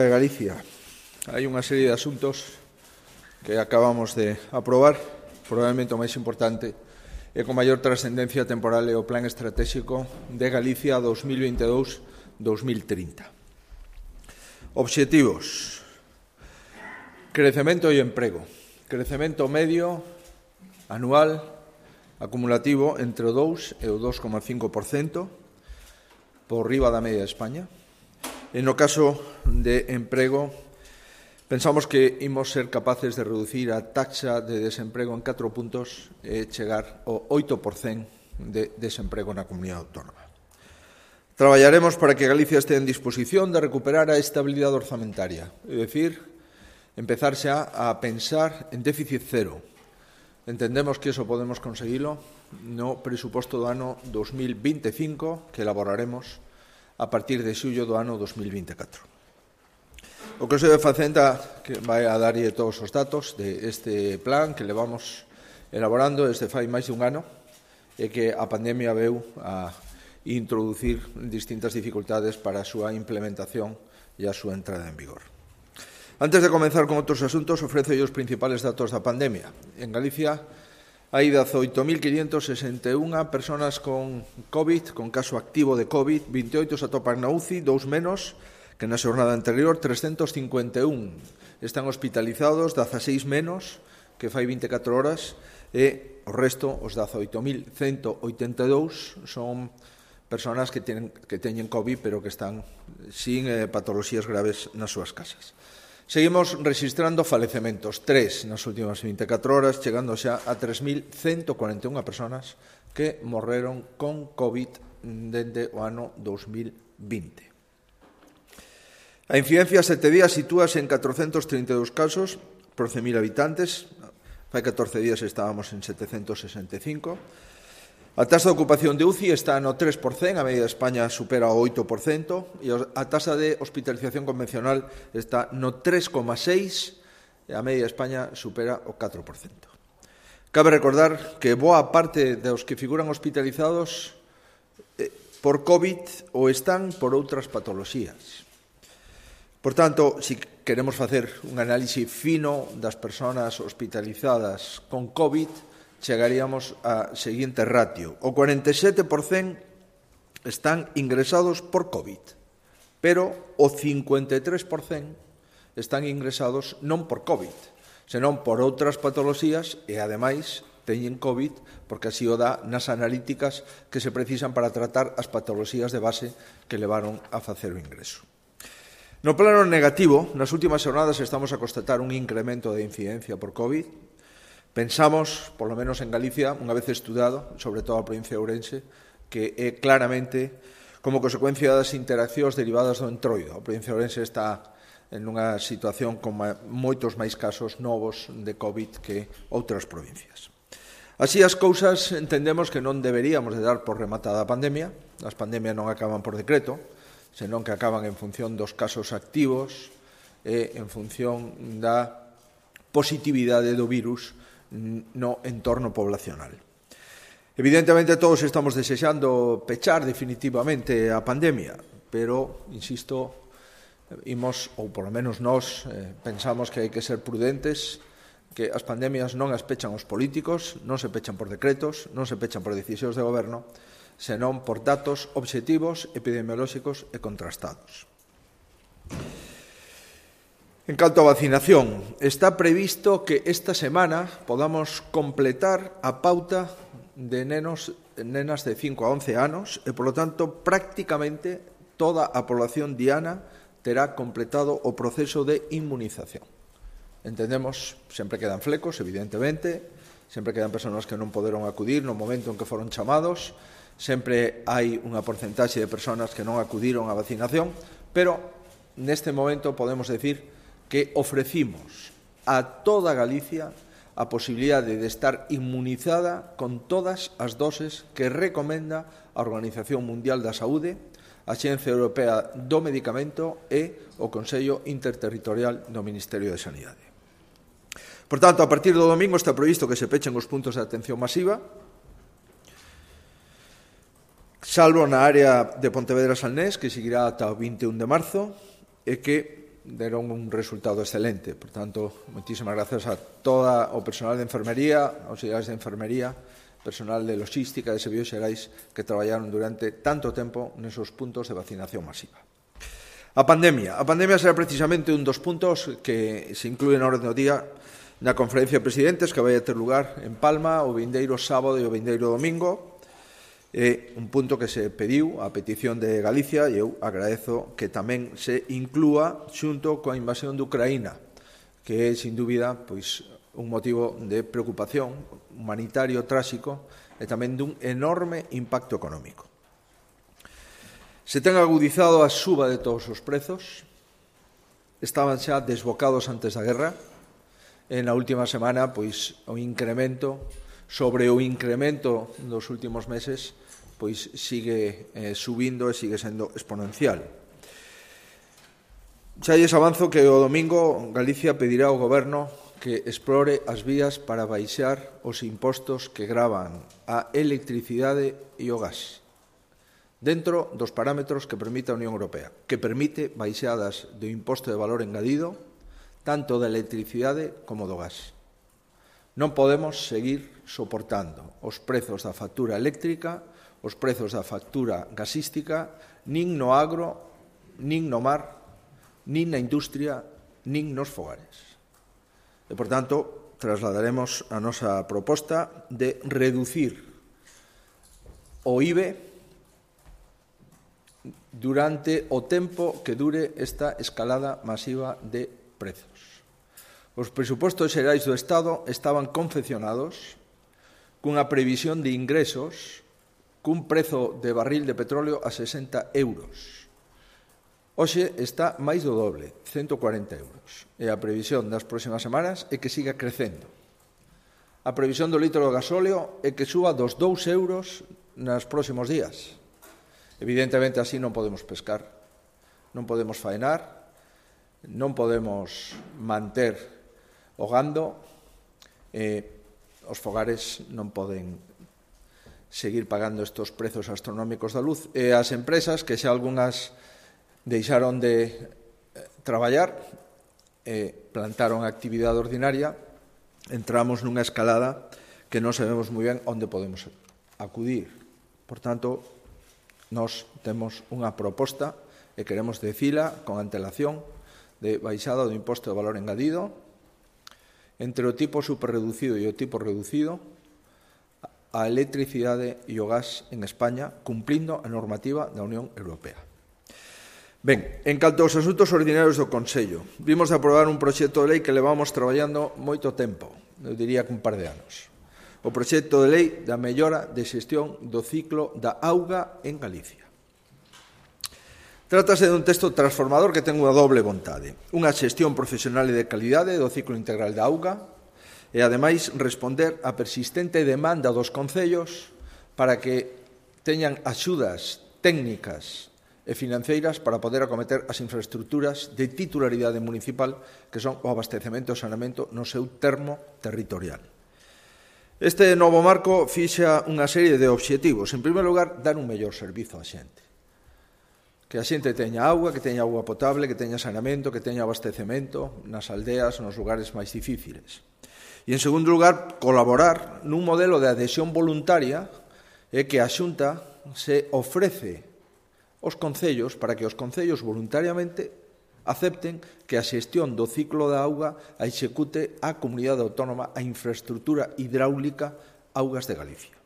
De Galicia. Hai unha serie de asuntos que acabamos de aprobar, probablemente o máis importante e con maior trascendencia temporal é o Plan Estratégico de Galicia 2022-2030. Obxectivos: crecemento e emprego. Crecemento medio anual acumulativo entre o 2 e o 2,5%, por riba da media de España. E no caso de emprego, pensamos que imos ser capaces de reducir a taxa de desemprego en 4 puntos e chegar ao 8% de desemprego na comunidade autónoma. Traballaremos para que Galicia este en disposición de recuperar a estabilidade orzamentaria, é dicir, empezar xa a pensar en déficit cero. Entendemos que iso podemos conseguilo no presuposto do ano 2025 que elaboraremos a partir de xullo do ano 2024. O Consello de Facenda que vai a darlle todos os datos deste plan que levamos elaborando desde fai máis de un ano e que a pandemia veu a introducir distintas dificultades para a súa implementación e a súa entrada en vigor. Antes de comenzar con outros asuntos, ofrezo os principales datos da pandemia. En Galicia hai 18.561 persoas con COVID, con caso activo de COVID, 28 se atopan na UCI, 2 menos que na xornada anterior, 351 están hospitalizados, 16 menos que fai 24 horas, e o resto, os 18.182, son persoas que teñen COVID, pero que están sin patoloxías graves nas súas casas. Seguimos registrando falecementos, 3 nas últimas 24 horas, chegando xa a 3.141 persoas que morreron con COVID dende o ano 2020. A incidencia 7 días sitúase en 432 casos por 100.000 habitantes, fai 14 días estábamos en 765. A taxa de ocupación de UCI está no 3%, a media de España supera o 8%, e a taxa de hospitalización convencional está no 3,6%, e a media de España supera o 4%. Cabe recordar que boa parte dos que figuran hospitalizados por COVID ou están por outras patoloxías. Por tanto, se queremos facer un análise fino das persoas hospitalizadas con COVID, chegaríamos a seguinte ratio. O 47% están ingresados por COVID, pero o 53% están ingresados non por COVID, senón por outras patoloxías e, ademais, teñen COVID porque así o dá nas analíticas que se precisan para tratar as patoloxías de base que levaron a facer o ingreso. No plano negativo, nas últimas xornadas estamos a constatar un incremento de incidencia por COVID. Pensamos, polo menos en Galicia, unha vez estudado, sobre todo a provincia de Ourense, que é claramente como consecuencia das interaccións derivadas do entroido. A provincia de Ourense está en unha situación con moitos máis casos novos de COVID que outras provincias. Así as cousas entendemos que non deberíamos de dar por rematada a pandemia. As pandemias non acaban por decreto, senón que acaban en función dos casos activos e en función da positividade do virus no entorno poblacional. Evidentemente, todos estamos desexando pechar definitivamente a pandemia, pero, insisto, imos, ou polo menos nós, pensamos que hai que ser prudentes, que as pandemias non as pechan os políticos, non se pechan por decretos, non se pechan por decisións de goberno, senón por datos obxectivos, epidemiolóxicos e contrastados. En canto a vacinación, está previsto que esta semana podamos completar a pauta de nenos e nenas de 5 a 11 anos e, polo tanto, prácticamente toda a población diana terá completado o proceso de inmunización. Entendemos, sempre quedan flecos, evidentemente, sempre quedan persoas que non poderon acudir no momento en que foron chamados, sempre hai unha porcentaxe de persoas que non acudiron á vacinación, pero neste momento podemos decir que ofrecimos a toda Galicia a posibilidade de estar inmunizada con todas as doses que recomenda a Organización Mundial da Saúde, a Axencia Europea do Medicamento e o Consello Interterritorial do Ministerio de Sanidade. Por tanto, a partir do domingo está previsto que se pechen os puntos de atención masiva, salvo na área de Pontevedra-Salnés, que seguirá ata o 21 de marzo, e que deron un resultado excelente. Por tanto, moitísimas gracias a todo o personal de enfermería, auxiliares de enfermería, personal de logística de Servizos Xerais que traballaron durante tanto tempo nesos puntos de vacinación masiva. A pandemia será precisamente un dos puntos que se inclúe na orde do día na conferencia de presidentes que vai a ter lugar en Palma o vindeiro sábado e o vindeiro domingo. É un punto que se pediu a petición de Galicia e eu agradezo que tamén se inclúa xunto coa invasión de Ucraína, que é, sin dúbida, pois, un motivo de preocupación humanitario tráxico e tamén dun enorme impacto económico. Se ten agudizado a suba de todos os prezos, estaban xa desbocados antes da guerra, e na última semana, pois, o incremento sobre o incremento dos últimos meses, pois sigue subindo e sigue sendo exponencial. Xa lles avanzo que o domingo Galicia pedirá ao Goberno que explore as vías para baixar os impostos que gravan a electricidade e o gas, dentro dos parámetros que permite a Unión Europea, que permite baixadas do imposto de valor engadido, tanto da electricidade como do gas. Non podemos seguir soportando os prezos da factura eléctrica, os prezos da factura gasística, nin no agro, nin no mar, nin na industria, nin nos fogares. E, por tanto, trasladaremos a nosa proposta de reducir o IBE durante o tempo que dure esta escalada masiva de prezos. Os presupostos xerais do Estado estaban confeccionados cunha previsión de ingresos cun prezo de barril de petróleo a 60 euros. Hoxe está máis do doble, 140 euros. E a previsión das próximas semanas é que siga crecendo. A previsión do litro de gasóleo é que suba dos 2 euros nos próximos días. Evidentemente, así non podemos pescar, non podemos faenar, non podemos manter o gando, os fogares non poden seguir pagando estes prezos astronómicos da luz, e as empresas, que xa algunhas deixaron de traballar e plantaron a actividade ordinaria, entramos nunha escalada que non sabemos moi ben onde podemos acudir. Por tanto, nós temos unha proposta e queremos dicila con antelación de baixada do imposto de valor engadido entre o tipo superreducido e o tipo reducido a electricidade e o gas en España, cumplindo a normativa da Unión Europea. Ben, en canto aos asuntos ordinarios do Consello, vimos de aprobar un proxecto de lei que levamos traballando moito tempo, eu diría que un par de anos. O proxecto de lei da mellora de xestión do ciclo da auga en Galicia. Trátase dun texto transformador que ten unha doble vontade. Unha xestión profesional e de calidade do ciclo integral da auga e, ademais, responder á persistente demanda dos concellos para que teñan axudas técnicas e financeiras para poder acometer as infraestructuras de titularidade municipal que son o abastecemento e saneamento no seu termo territorial. Este novo marco fixa unha serie de obxectivos. En primeiro lugar, dar un mellor servizo á xente. Que a xente teña auga, que teña auga potable, que teña saneamento, que teña abastecemento nas aldeas, nos lugares máis difíciles. E, en segundo lugar, colaborar nun modelo de adhesión voluntaria e que a Xunta se ofrece aos concellos para que os concellos voluntariamente acepten que a xestión do ciclo da auga a execute a comunidade autónoma a infraestructura hidráulica Augas de Galicia.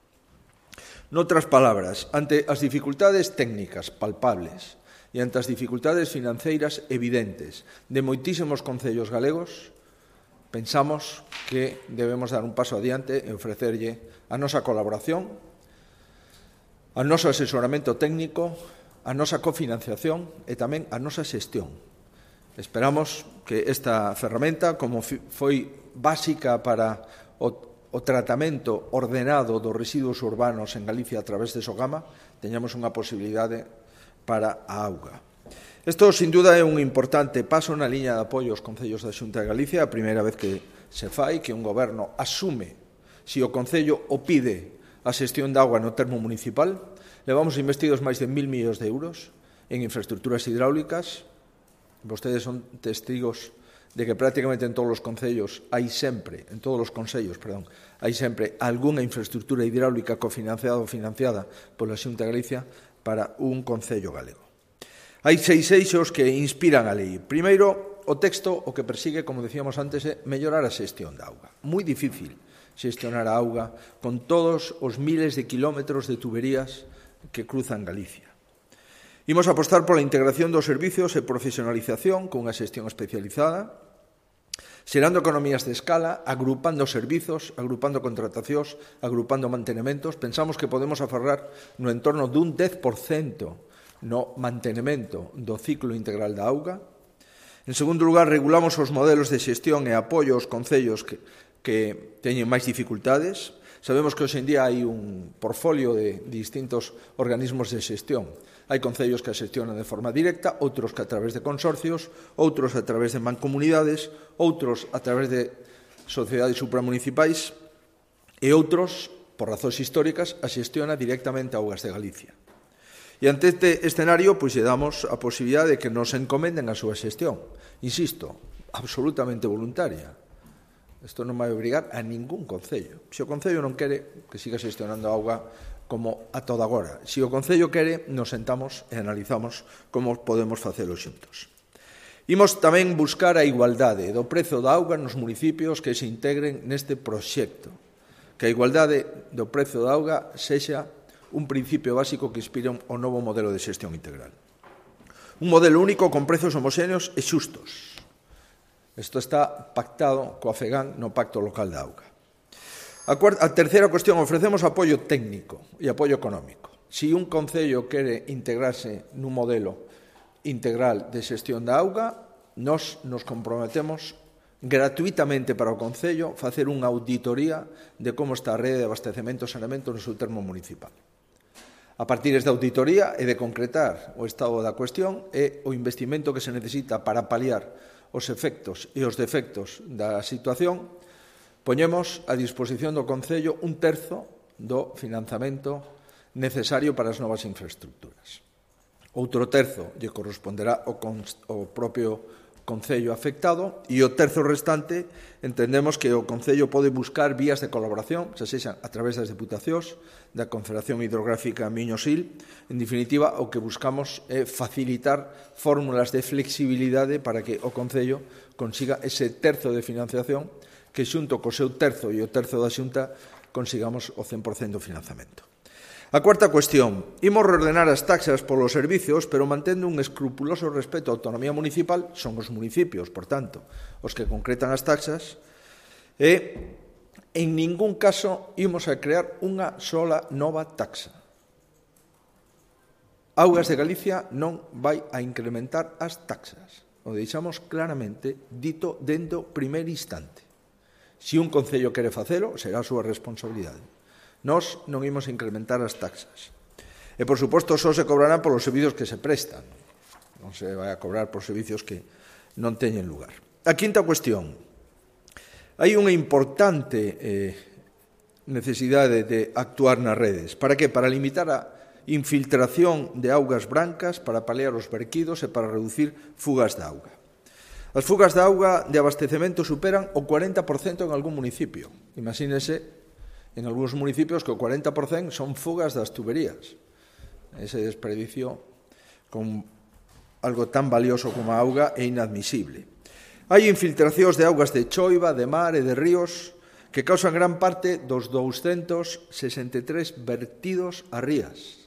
Noutras palabras, ante as dificultades técnicas palpables e ante as dificultades financeiras evidentes de moitísimos concellos galegos, pensamos que debemos dar un paso adiante e ofrecerlle a nosa colaboración, a noso asesoramento técnico, a nosa cofinanciación e tamén a nosa xestión. Esperamos que esta ferramenta, como foi básica para o tratamento ordenado dos residuos urbanos en Galicia a través de Sogama, teñamos unha posibilidade para a auga. Isto, sin duda, é un importante paso na liña de apoio aos concellos da Xunta de Galicia, a primeira vez que se fai, que un goberno asume, se o concello o pide, a xestión de auga no termo municipal. Levamos investidos máis de 1.000 millóns de euros en infraestructuras hidráulicas, Vostedes son testigos de que prácticamente en todos os concellos hai sempre, hai sempre algunha infraestructura hidráulica cofinanciada ou financiada pola Xunta de Galicia para un concello galego. Hai 6 eixos que inspiran a lei. Primeiro, o texto o que persigue, como decíamos antes, é mellorar a xestión da auga. Moi difícil xestionar a auga con todos os miles de kilómetros de tuberías que cruzan Galicia. Imos apostar pola integración dos servicios e profesionalización cunha xestión especializada, xerando economías de escala, agrupando servizos, agrupando contratacións, agrupando mantenementos. Pensamos que podemos aforrar no entorno dun 10% no mantenemento do ciclo integral da auga. En segundo lugar, regulamos os modelos de xestión e apoio aos concellos que teñen máis dificultades. Sabemos que hoxe en día hai un portfolio de distintos organismos de xestión. Hai concellos que a xestionan de forma directa, outros que a través de consorcios, outros a través de mancomunidades, outros a través de sociedades supramunicipais e outros, por razóns históricas, a xestiona directamente a Augas de Galicia. E ante este escenario, pois, lle damos a posibilidade de que nos encomenden a súa xestión. Insisto, absolutamente voluntaria. Isto non vai obrigar a ningún concello. Se o concello non quere, que siga xestionando a auga como a toda agora. Se o concello quere, nos sentamos e analizamos como podemos facelo xuntos. Imos tamén buscar a igualdade do prezo da auga nos municipios que se integren neste proxecto. Que a igualdade do prezo da auga sexa un principio básico que inspira o novo modelo de xestión integral. Un modelo único con prezos homoxéneos e xustos. Isto está pactado coa FEGAN no Pacto Local da Auga. A terceira cuestión, ofrecemos apoio técnico e apoio económico. Se un concello quere integrarse nun modelo integral de xestión da auga, nos comprometemos gratuitamente para o concello facer unha auditoría de como está a rede de abastecemento e saneamento no seu termo municipal. A partir desta auditoría e de concretar o estado da cuestión e o investimento que se necesita para paliar os efectos e os defectos da situación, poñemos a disposición do concello 1/3 do financiamento necesario para as novas infraestructuras. Outro terzo lle corresponderá ao propio concello afectado e o terzo restante entendemos que o concello pode buscar vías de colaboración, xa sexan a través das deputacións, da Confederación Hidrográfica Miño-Sil. En definitiva, o que buscamos é facilitar fórmulas de flexibilidade para que o concello consiga ese terzo de financiación que xunto co seu terzo e o terzo da Xunta consigamos o 100% do financiamento. A cuarta cuestión, imos reordenar as taxas polos servicios, pero mantendo un escrupuloso respeto á autonomía municipal, son os municipios, por tanto, os que concretan as taxas, e en ningún caso imos a crear unha sola nova taxa. Augas de Galicia non vai a incrementar as taxas. O deixamos claramente dito dentro primeiro instante. Se un concello quere facelo, será a súa responsabilidade. Nós non imos incrementar as taxas. E, por suposto, só se cobrarán polos servicios que se prestan. Non se vai a cobrar por servicios que non teñen lugar. A quinta cuestión. Hai unha importante necesidade de actuar nas redes. Para que? Para limitar a infiltración de augas brancas, para paliar os verquidos e para reducir fugas de auga. As fugas de auga de abastecemento superan o 40% en algún municipio. Imagínese en algúns municipios que o 40% son fugas das tuberías. Ese desperdicio con algo tan valioso como a auga é inadmisible. Hai infiltracións de augas de choiva, de mar e de ríos que causan gran parte dos 263 vertidos a rías.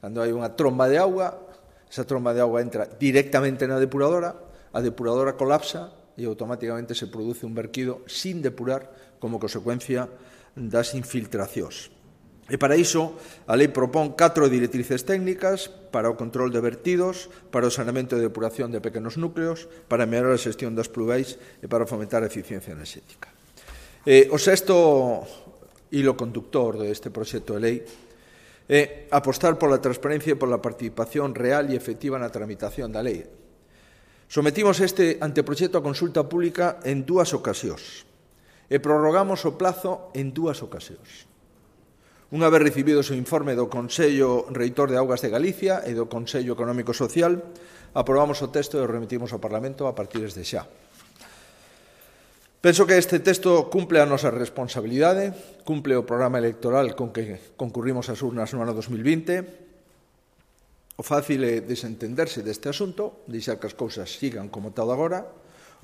Cando hai unha tromba de auga, esa tromba de auga entra directamente na depuradora, a depuradora colapsa e automáticamente se produce un verquido sin depurar como consecuencia das infiltracións. E para iso, a lei propón 4 directrices técnicas para o control de vertidos, para o saneamento e depuración de pequenos núcleos, para mellorar a xestión das pluviais e para fomentar a eficiencia enerxética. O sexto hilo conductor deste proxecto de lei é apostar pola transparencia e pola participación real e efectiva na tramitación da lei. Sometimos este anteproxecto a consulta pública en 2 ocasións e prorrogamos o plazo en 2 ocasións. Unha vez recibido o informe do Consello Reitor de Augas de Galicia e do Consello Económico e Social, aprobamos o texto e o remitimos ao Parlamento a partir de xa. Penso que este texto cumple a nosa responsabilidade, cumple o programa electoral con que concurrimos ás urnas no ano 2020. O fácil é desentenderse deste asunto, deixar que as cousas sigan como tal agora.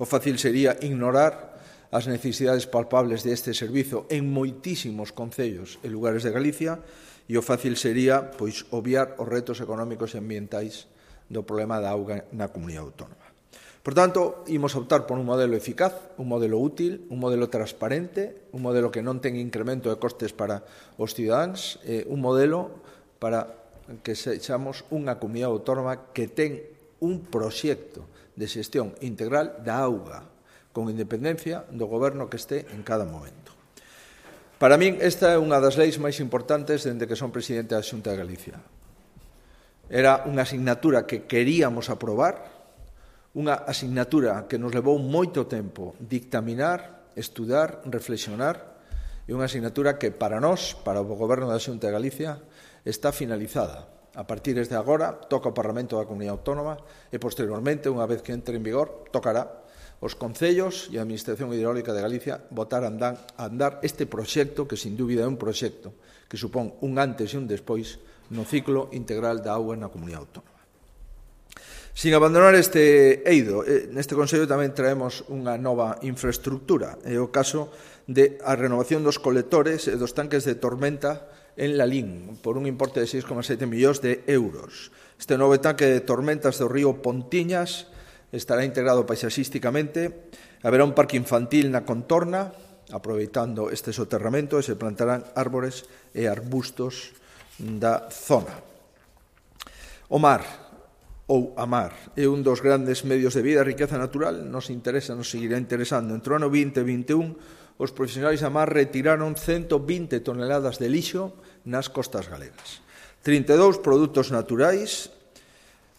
O fácil sería ignorar as necesidades palpables deste servizo en moitísimos concellos e lugares de Galicia, e o fácil sería pois obviar os retos económicos e ambientais do problema da auga na comunidade autónoma. Por tanto, imos optar por un modelo eficaz, un modelo útil, un modelo transparente, un modelo que non ten incremento de costes para os cidadáns, un modelo para que sexamos unha comunidade autónoma que ten un proxecto de xestión integral da auga, con independencia do goberno que este en cada momento. Para min, esta é unha das leis máis importantes dende que son presidente da Xunta de Galicia. Era unha asignatura que queríamos aprobar, unha asignatura que nos levou moito tempo dictaminar, estudar, reflexionar, e unha asignatura que para nós, para o Goberno da Xunta de Galicia, está finalizada. A partir de agora, toca ao Parlamento da Comunidade Autónoma e, posteriormente, unha vez que entre en vigor, tocará os concellos e a Administración Hidráulica de Galicia botar a andar este proxecto, que sin dúbida é un proxecto que supón un antes e un despois no ciclo integral da auga na comunidade autónoma. Sin abandonar este eido, neste Consello tamén traemos unha nova infraestructura. É o caso de a renovación dos colectores e dos tanques de tormenta en Lalín, por un importe de 6,7 millóns de euros. Este novo tanque de tormentas do río Pontiñas estará integrado paisaxísticamente, haberá un parque infantil na contorna, aproveitando este soterramento, e se plantarán árbores e arbustos da zona. O mar, ou a mar, é un dos grandes medios de vida e riqueza natural, nos seguirá interesando. Entre o ano 20 e 21, os profesionais da mar retiraron 120 toneladas de lixo nas costas galegas. 32 produtos naturais,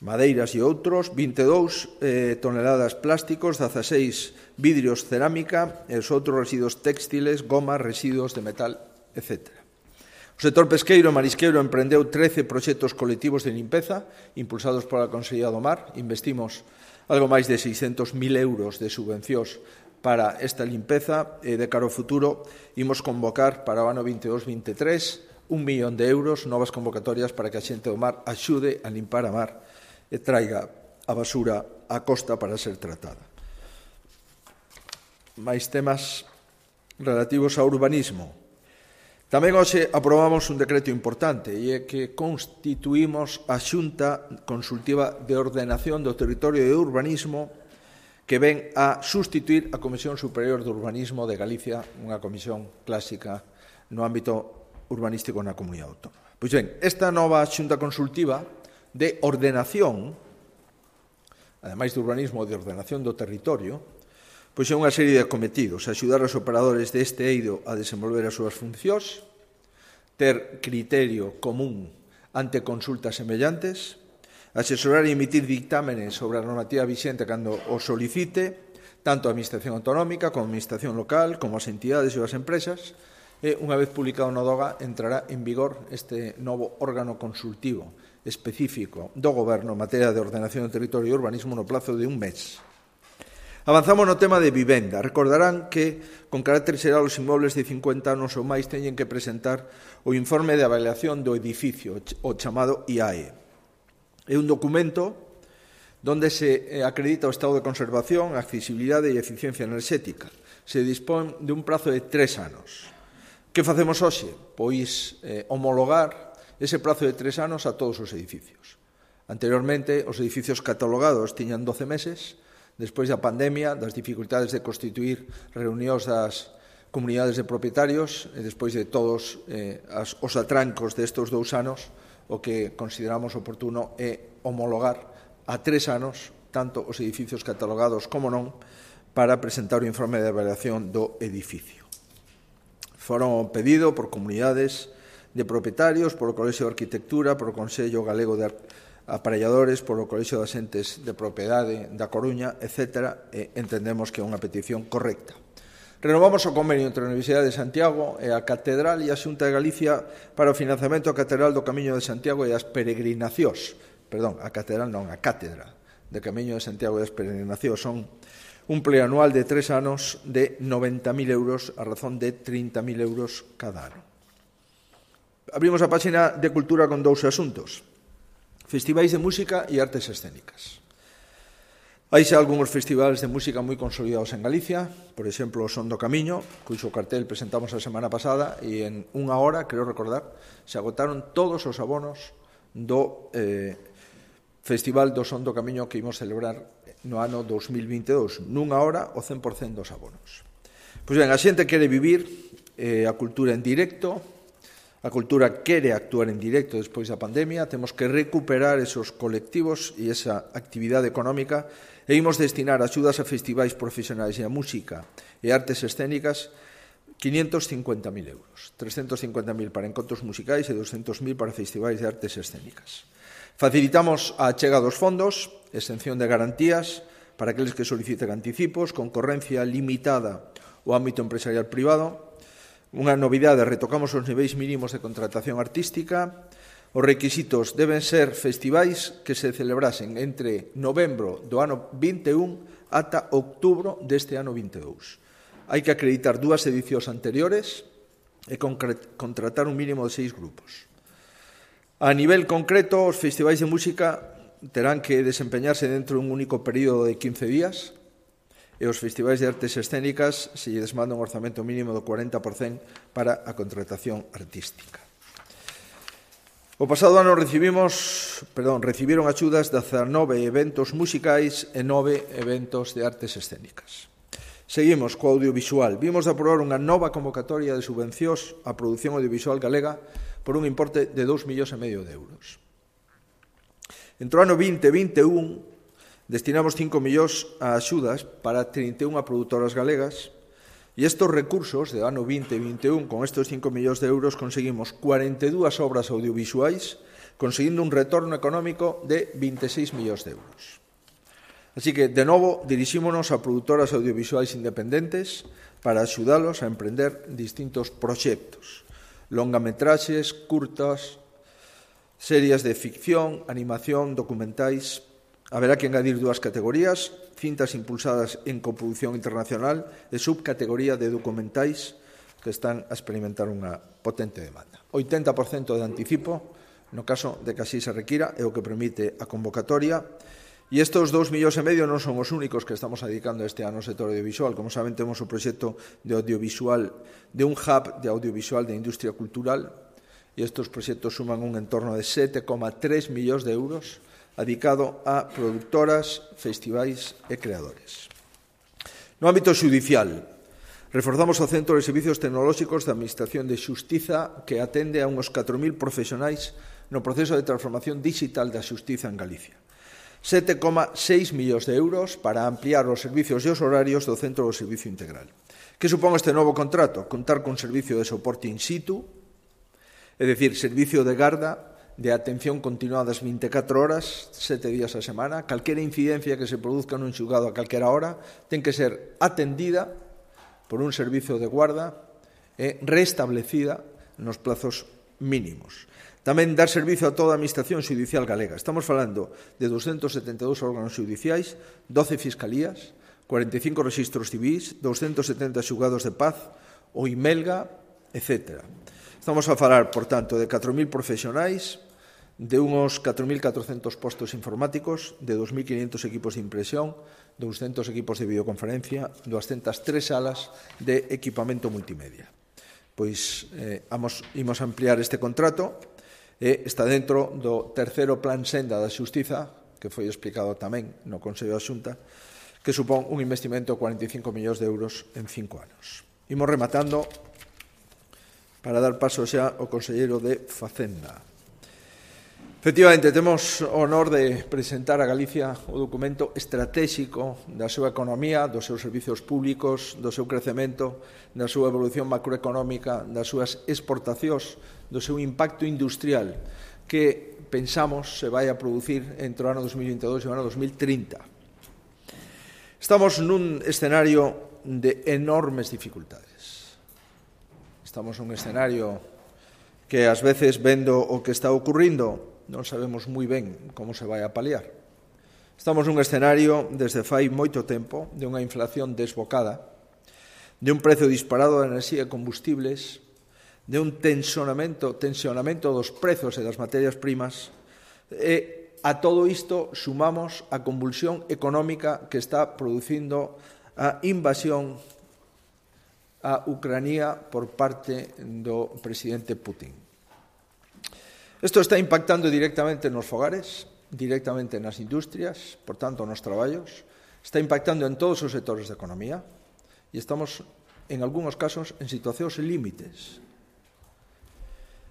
madeiras e outros, 22 toneladas plásticos, 16 vidrios cerámica e os outros residuos textiles, gomas, residuos de metal, etc. O sector pesqueiro e marisqueiro emprendeu 13 proxectos colectivos de limpeza impulsados pola Consellería do Mar. Investimos algo máis de 600.000 euros de subvencións para esta limpeza e de cara ao futuro imos convocar para o ano 22-23 €1 millón de euros, novas convocatorias para que a xente do mar axude a limpar a mar e traiga a basura á costa para ser tratada. Mais temas relativos ao urbanismo. Tamén hoxe aprobamos un decreto importante e é que constituímos a Xunta Consultiva de Ordenación do Territorio e Urbanismo que ven a sustituir a Comisión Superior de Urbanismo de Galicia, unha comisión clásica no ámbito urbanístico na comunidade autónoma. Pois ben, esta nova Xunta Consultiva de ordenación, ademais de urbanismo, de ordenación do territorio, pois é unha serie de cometidos: axudar os operadores deste eido a desenvolver as súas funcións, ter criterio común ante consultas semellantes, asesorar e emitir dictámenes sobre a normativa vixente cando o solicite, tanto a Administración Autonómica como a Administración Local, como as entidades e as empresas, e unha vez publicado no DOGA entrará en vigor este novo órgano consultivo específico do Goberno en materia de ordenación do territorio e urbanismo no plazo de un mes. Avanzamos no tema de vivenda. Recordarán que, con carácter xeral, os inmobles de 50 anos ou máis teñen que presentar o informe de avaliación do edificio, o chamado IAE. É un documento onde se acredita o estado de conservación, accesibilidade e eficiencia enerxética. Se dispón de un prazo de 3 anos. Que facemos hoxe? Pois homologar ese prazo de 3 anos a todos os edificios. Anteriormente, os edificios catalogados tiñan 12 meses, despois da pandemia, das dificultades de constituir reunións das comunidades de propietarios e despois de todos os atrancos destes 2 anos, o que consideramos oportuno é homologar a 3 anos tanto os edificios catalogados como non para presentar o informe de avaliación do edificio. Foron pedido por comunidades de propietarios, por o Colexio de Arquitectura, por o Consello Galego de Aparelladores, por o Colexio de Asentes de Propiedade da Coruña, etc. E entendemos que é unha petición correcta. Renovamos o convenio entre a Universidade de Santiago e a Catedral e a Xunta de Galicia para o financiamento da Catedral do Camiño de Santiago e as peregrinacións, a Catedral non, a Cátedra de Camiño de Santiago das Peregrinacións. Son un pleanual de 3 anos de 90.000 euros a razón de 30.000 euros cada ano. Abrimos a páxina de Cultura con 2 asuntos: festivais de música e artes escénicas. Hai xa algúns festivales de música moi consolidados en Galicia, por exemplo, o Son do Camiño, cuxo cartel presentamos a semana pasada e en unha hora, creo recordar, se agotaron todos os abonos do Festival do Son do Camiño que imos celebrar no ano 2022. Nunha hora, o 100% dos abonos. Pois ben, a xente quere vivir a cultura en directo, a cultura quere actuar en directo despois da pandemia, temos que recuperar esos colectivos e esa actividade económica e imos destinar axudas a festivais profesionais e a música e artes escénicas 550.000 euros, 350.000 para encontros musicais e 200.000 para festivais de artes escénicas. Facilitamos a achega dos fondos, exención de garantías para aqueles que soliciten anticipos, concorrencia limitada ao ámbito empresarial privado. Unha novidade, retocamos os niveis mínimos de contratación artística. Os requisitos deben ser festivais que se celebrasen entre novembro do ano 21 ata outubro deste ano 22. Hai que acreditar 2 edicións anteriores e contratar un mínimo de 6 grupos. A nivel concreto, os festivais de música terán que desempeñarse dentro dun único período de 15 días e os festivais de artes escénicas se lles manda un orzamento mínimo do 40% para a contratación artística. O pasado ano recibiron axudas de 19 eventos musicais e 9 eventos de artes escénicas. Seguimos co audiovisual. Vimos de aprobar unha nova convocatoria de subvencións á produción audiovisual galega por un importe de 2,5 millóns de euros. Entre o ano 2021 destinamos 5 millóns a axudas para 31 produtoras galegas e estes recursos do ano 2021, con estes 5 millóns de euros, conseguimos 42 obras audiovisuais, conseguindo un retorno económico de 26 millóns de euros. Así que, de novo, dirixímonos a produtoras audiovisuais independentes para axudalos a emprender distintos proxectos, longametraxes, curtas, series de ficción, animación, documentais. Haberá que engadir 2 categorías: cintas impulsadas en coproducción internacional e subcategoría de documentais que están a experimentar unha potente demanda. 80% de anticipo, no caso de que así se requira, é o que permite a convocatoria. E estes 2,5 millóns non son os únicos que estamos dedicando este ano ao sector audiovisual. Como saben, temos o proxecto de audiovisual, de un hub de audiovisual de industria cultural, e estes proxectos suman un entorno de 7,3 millóns de euros dedicado a productoras, festivais e creadores. No ámbito xudicial, reforzamos o Centro de Servicios Tecnolóxicos da Administración de Xustiza, que atende a uns 4.000 profesionais no proceso de transformación digital da xustiza en Galicia. 7,6 millóns de euros para ampliar os servicios e os horarios do Centro do Servicio Integral. Que supón este novo contrato? Contar con servicio de soporte in situ, é dicir, servicio de garda, de atención continuada as 24 horas, 7 días a semana. Calquera incidencia que se produzca nun xulgado a calquera hora ten que ser atendida por un servizo de guarda e restablecida nos plazos mínimos. Tamén dar servizo a toda a Administración Xudicial galega. Estamos falando de 272 órganos xudiciais, 12 fiscalías, 45 registros civis, 270 xulgados de paz, o IMELGA, etc. Estamos a falar, por tanto, de 4.000 profesionais, de unos 4.400 postos informáticos, de 2.500 equipos de impresión, 200 equipos de videoconferencia, 203 salas de equipamento multimedia. Pois imos ampliar este contrato e está dentro do terceiro plan senda da xustiza, que foi explicado tamén no Consello da Xunta, que supón un investimento de 45 millóns de euros en 5 anos. Imos rematando para dar paso xa ao conselleiro de Facenda. Efectivamente, temos o honor de presentar a Galicia o documento estratégico da súa economía, dos seus servicios públicos, do seu crecemento, da súa evolución macroeconómica, das súas exportacións, do seu impacto industrial, que pensamos se vai a producir entre o ano 2022 e o ano 2030. Estamos nun escenario de enormes dificultades. Estamos nun escenario que, ás veces, vendo o que está ocurrindo, non sabemos moi ben como se vai a paliar. Estamos nun escenario desde fai moito tempo de unha inflación desbocada, de un prezo disparado da enerxía e combustibles, de un tensionamento dos prezos e das materias primas, e a todo isto sumamos a convulsión económica que está producindo a invasión a Ucrania por parte do presidente Putin. Isto está impactando directamente nos fogares, directamente nas industrias, por tanto nos traballos, está impactando en todos os sectores da economía e estamos, en algúns casos, en situacións límites.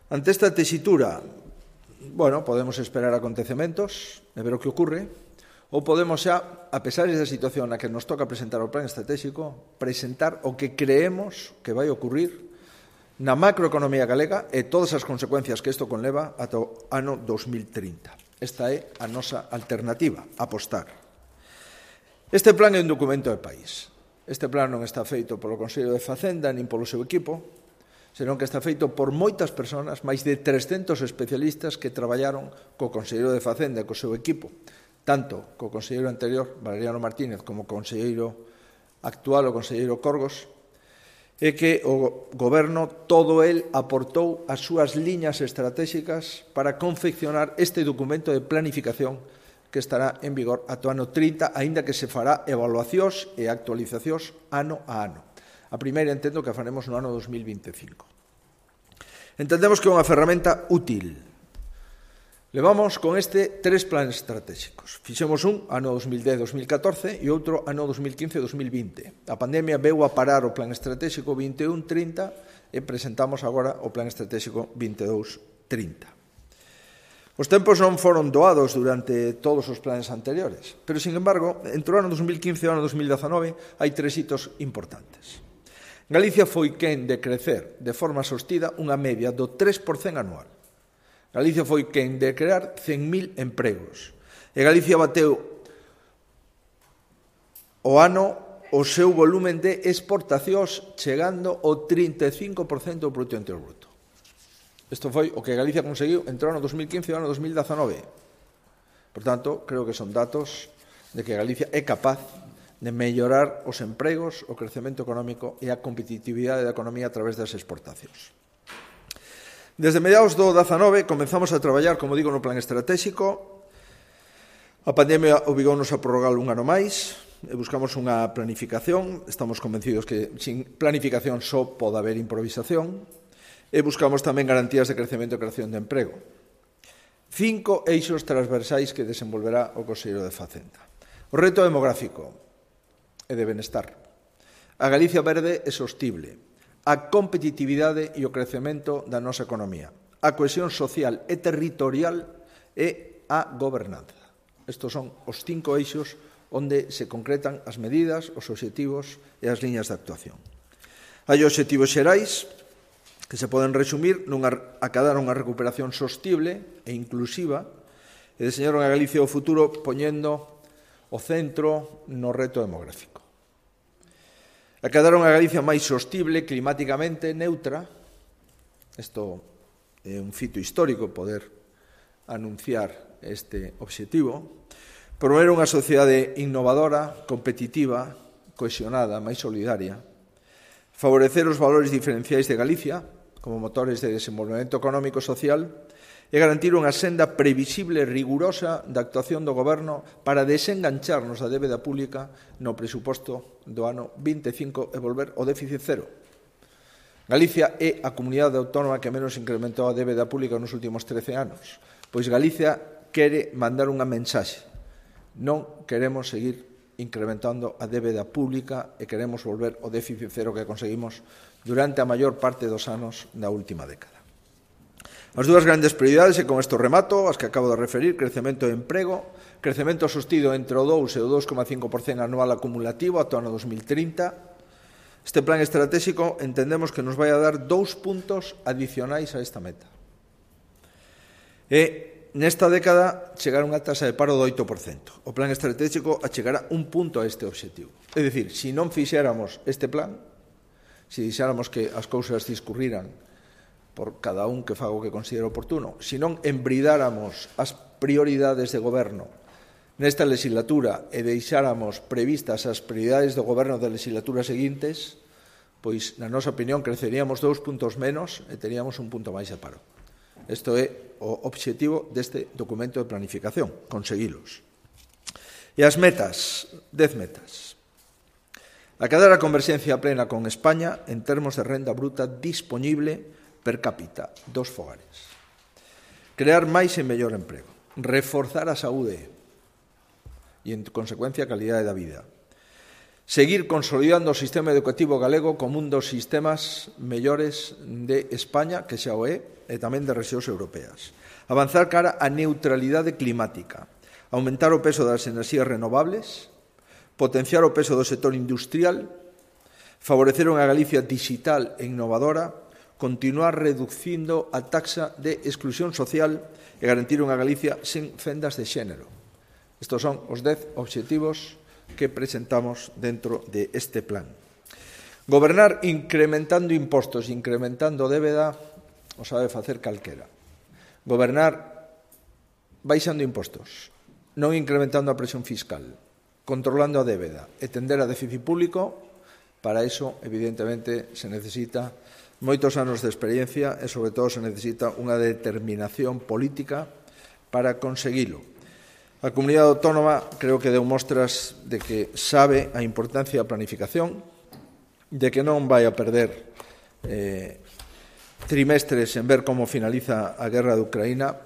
Ante esta tesitura, podemos esperar acontecementos e ver o que ocurre, ou podemos xa, a pesar desa situación na que nos toca presentar o plan estratégico, presentar o que creemos que vai ocurrir na macroeconomía galega e todas as consecuencias que isto conleva ata o ano 2030. Esta é a nosa alternativa, apostar. Este plan é un documento de país. Este plan non está feito polo Consello de Facenda nin polo seu equipo, senón que está feito por moitas persoas, máis de 300 especialistas que traballaron co Conselleiro de Facenda e co seu equipo, tanto co conselleiro anterior, Valeriano Martínez, como co conselleiro actual, o conselleiro Corgos, e que o Goberno, todo el, aportou as súas liñas estratégicas para confeccionar este documento de planificación que estará en vigor ata o ano 30, aínda que se fará evaluacións e actualizacións ano a ano. A primeira entendo que a faremos no ano 2025. Entendemos que é unha ferramenta útil. Levamos con este 3 planes estratégicos. Fixemos un ano 2010-2014 e outro ano 2015-2020. A pandemia veu a parar o plan estratégico 21-30 e presentamos agora o plan estratégico 22-30. Os tempos non foron doados durante todos os planes anteriores, pero, sin embargo, entre o ano 2015 e o ano 2019 hai 3 hitos importantes. Galicia foi quen de crecer de forma sostida unha media do 3% anual. Galicia foi quen de crear 100.000 empregos. E Galicia bateu o ano o seu volumen de exportacións chegando ao 35% do Produto Interior Bruto. Isto foi o que Galicia conseguiu entre o ano 2015 e o ano 2019. Por tanto, creo que son datos de que Galicia é capaz de mellorar os empregos, o crecemento económico e a competitividade da economía a través das exportacións. Desde mediados do 19 comenzamos a traballar, como digo, no plan estratégico. A pandemia obligounos a prorrogar un ano máis e buscamos unha planificación. Estamos convencidos que sin planificación só pode haber improvisación. E buscamos tamén garantías de crecemento e creación de emprego. 5 eixos transversais que desenvolverá o Conselleiro de Facenda. O reto demográfico e de benestar. A Galicia verde e sostible. A competitividade e o crecemento da nosa economía. A cohesión social e territorial e a gobernanza. Estos son os 5 eixos onde se concretan as medidas, os obxectivos e as liñas de actuación. Hai obxectivos xerais que se poden resumir acadar unha recuperación sostible e inclusiva e deseñar unha Galicia do futuro poñendo o centro no reto demográfico. Acadar unha Galicia máis sostible, climáticamente neutra. Isto é un fito histórico poder anunciar este obxectivo. Promover unha sociedade innovadora, competitiva, cohesionada, máis solidaria. Favorecer os valores diferenciais de Galicia como motores de desenvolvemento económico e social e garantir unha senda previsible e rigurosa da actuación do Goberno para desengancharnos da débeda pública no presuposto do ano 25 e volver ao déficit cero. Galicia é a comunidade autónoma que menos incrementou a débeda pública nos últimos 13 anos, pois Galicia quere mandar unha mensaxe. Non queremos seguir incrementando a débeda pública e queremos volver ao déficit cero que conseguimos durante a maior parte dos anos da última década. As dúas grandes prioridades, e con isto remato, as que acabo de referir, crecemento e emprego, crecemento sostido entre o 2 e o 2,5% anual acumulativo ata o ano 2030. Este plan estratégico entendemos que nos vai a dar 2 puntos adicionais a esta meta. E nesta década chegará unha tasa de paro do 8%. O plan estratégico achegará un punto a este objetivo. É dicir, se non fixéramos este plan, se deixáramos que as cousas discurriran por cada un que faga o que considere oportuno, se non embridáramos as prioridades de goberno nesta legislatura e deixáramos previstas as prioridades do goberno das legislaturas seguintes, pois, na nosa opinión, creceríamos 2 puntos menos e teríamos un punto máis de paro. Isto é o obxectivo deste documento de planificación, conseguilos. E as metas, 10 metas. Acadar a converxencia plena con España en termos de renda bruta disponible per cápita dos fogares. Crear máis e mellor emprego. Reforzar a saúde e, en consecuencia, a calidade da vida. Seguir consolidando o sistema educativo galego como un dos sistemas mellores de España, que xa o é, e tamén de rexións europeas. Avanzar cara á neutralidade climática. Aumentar o peso das enerxías renovables. Potenciar o peso do sector industrial. Favorecer unha Galicia digital e innovadora. Continuar reducindo a taxa de exclusión social e garantir unha Galicia sen fendas de xénero. Estos son os 10 obxectivos que presentamos dentro de este plan. Gobernar incrementando impostos, incrementando débeda, o sabe facer calquera. Gobernar baixando impostos, non incrementando a presión fiscal, controlando a débeda e tender a déficit público. Para eso, evidentemente, se necesita moitos anos de experiencia e, sobre todo, se necesita unha determinación política para conseguilo. A comunidade autónoma creo que deu mostras de que sabe a importancia da planificación, de que non vai a perder trimestres en ver como finaliza a guerra de Ucraína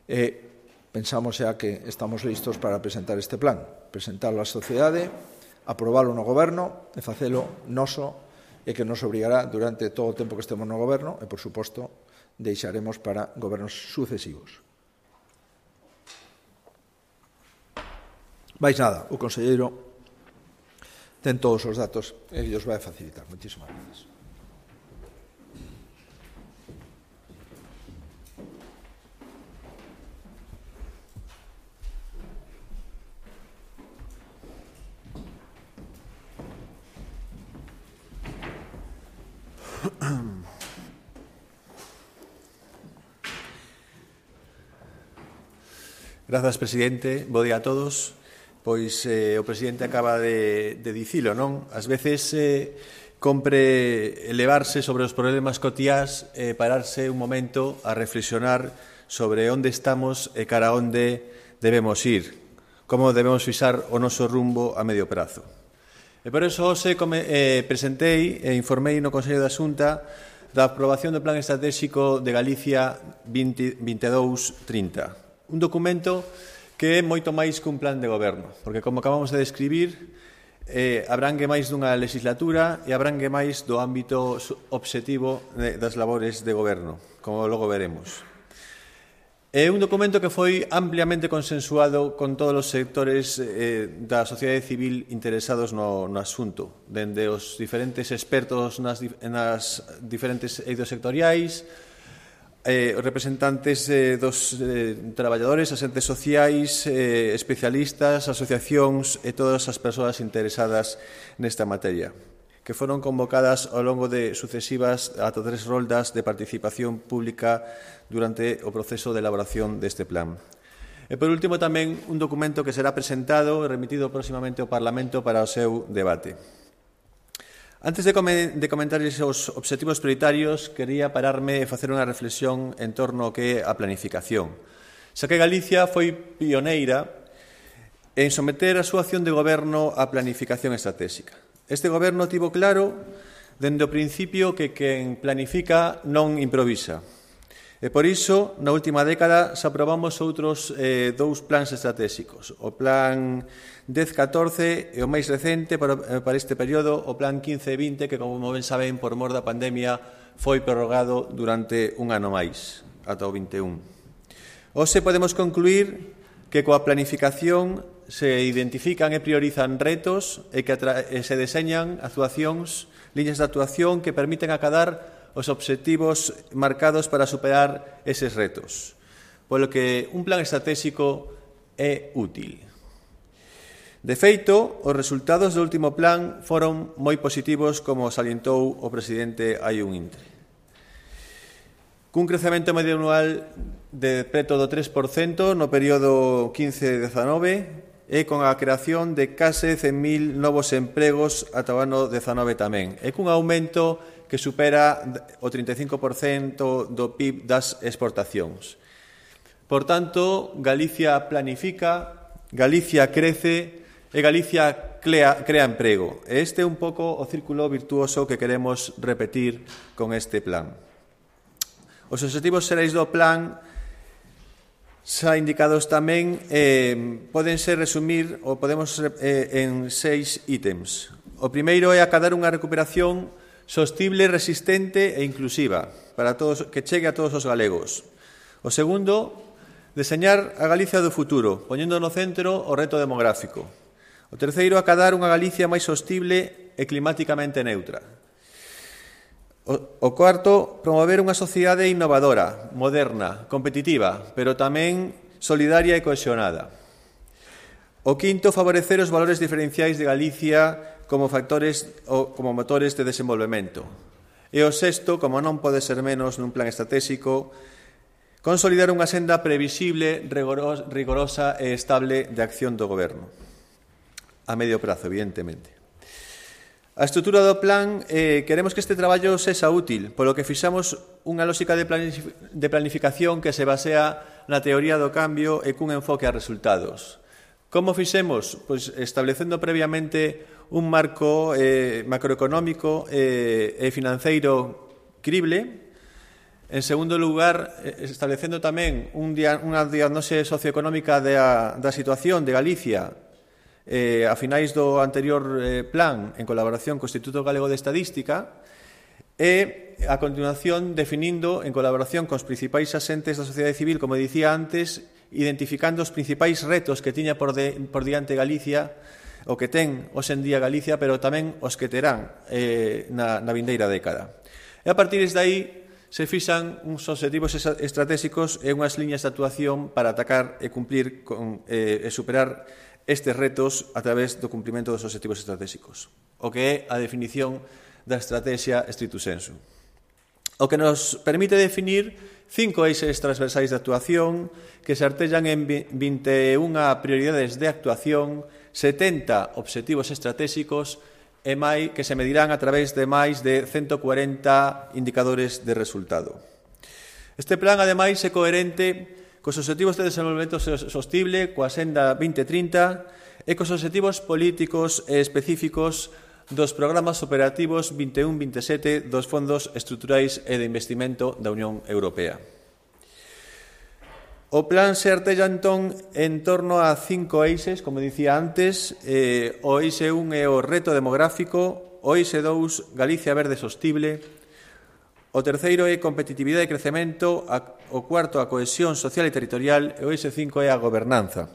e pensamos xa que estamos listos para presentar este plan, presentarlo á sociedade, aprobalo no goberno e facelo noso e que nos obrigará durante todo o tempo que estemos no goberno e, por suposto, deixaremos para gobernos sucesivos. Mais nada, o conselleiro ten todos os datos e os vai facilitar. Moitísimas gracias. Grazas, presidente. Bo día a todos. Pois o presidente acaba de dicilo, non? Ás veces compre elevarse sobre os problemas cotiás e pararse un momento a reflexionar sobre onde estamos e cara a onde debemos ir, como debemos fixar o noso rumbo a medio prazo. E por eso hoxe presentei e informei no Consello da Xunta da aprobación do Plan Estratégico de Galicia 2022-30, un documento que é moito máis que un plan de goberno, porque, como acabamos de describir, abrangue máis dunha legislatura e abrangue máis do ámbito obxectivo das labores de goberno, como logo veremos. É un documento que foi ampliamente consensuado con todos os sectores da sociedade civil interesados no asunto, dende os diferentes expertos nas diferentes eidos sectoriais, representantes dos traballadores, asentes sociais, especialistas, asociacións e todas as persoas interesadas nesta materia, que foron convocadas ao longo de sucesivas ata 3 roldas de participación pública durante o proceso de elaboración deste plan. E, por último, tamén un documento que será presentado e remitido próximamente ao Parlamento para o seu debate. Antes de comentar os obxectivos prioritarios, quería pararme e facer unha reflexión en torno ao que é a planificación. Xa que Galicia foi pioneira en someter a súa acción de goberno á planificación estratégica. Este goberno tivo claro, dende o principio, que quen planifica non improvisa. E por iso, na última década, se aprobamos outros 2 plans estratégicos. O Plan 10-14 e o máis recente para este período, o Plan 15-20, que, como ben saben, por mor da pandemia, foi prorrogado durante un ano máis, ata o 21. Hoxe podemos concluir que coa planificación se identifican e priorizan retos e que se deseñan actuacións, liñas de actuación que permiten acadar os obxectivos marcados para superar eses retos, polo que un plan estratégico é útil. De feito, os resultados do último plan foron moi positivos, como salientou o presidente hai un intre. cun crecemento medio anual de preto do 3% no período 15-19 e con a creación de case 100.000 novos empregos ata o ano 19 tamén, e cun aumento que supera o 35% do PIB das exportacións. Por tanto, Galicia planifica, Galicia crece e Galicia crea emprego. E este é un pouco o círculo virtuoso que queremos repetir con este plan. Os obxectivos xerais do plan xa indicados tamén poden ser resumir ou podemos en 6 ítems. O primeiro é acadar unha recuperación sostible, resistente e inclusiva para todos, que chegue a todos os galegos. O segundo, deseñar a Galicia do futuro, poñendo no centro o reto demográfico. O terceiro, acadar unha Galicia máis sostible e climáticamente neutra. O cuarto, promover unha sociedade innovadora, moderna, competitiva, pero tamén solidaria e cohesionada. O quinto, favorecer os valores diferenciais de Galicia como factores ou como motores de desenvolvemento. E o sexto, como non pode ser menos nun plan estratégico, consolidar unha senda previsible, rigorosa e estable de acción do Goberno. A medio prazo, evidentemente. A estrutura do plan, queremos que este traballo sexa útil, polo que fixamos unha lógica de planificación que se basea na teoría do cambio e cun enfoque a resultados. Como fixemos? Pois establecendo previamente un marco macroeconómico e financeiro crible. En segundo lugar, establecendo tamén unha diagnose socioeconómica da situación de Galicia a finais do anterior plan en colaboración co Instituto Galego de Estadística e, a continuación, definindo en colaboración cos principais asentes da sociedade civil, como dicía antes, identificando os principais retos que tiña por diante Galicia, o que ten hoxe en día Galicia, pero tamén os que terán na vindeira década. E a partir de aí se fixan uns obxectivos estratégicos e unhas liñas de actuación para atacar e cumplir e superar estes retos a través do cumprimento dos obxectivos estratégicos, o que é a definición da estrategia stricto sensu. O que nos permite definir 5 eixes transversais de actuación que se artellan en 21 prioridades de actuación, 70 obxectivos estratégicos e que se medirán a través de máis de 140 indicadores de resultado. Este plan, ademais, é coherente cos obxectivos de desenvolvemento sostible, coa Senda 2030 e cos obxectivos políticos e específicos dos programas operativos 21-27 dos fondos estruturais e de investimento da Unión Europea. O plan se artella entón en torno a 5 eixes, como dicía antes. O eixe 1 é o reto demográfico, o eixe 2, Galicia verde sostible, o terceiro é competitividade e crecemento, o cuarto a cohesión social e territorial e o eixe 5 é a gobernanza.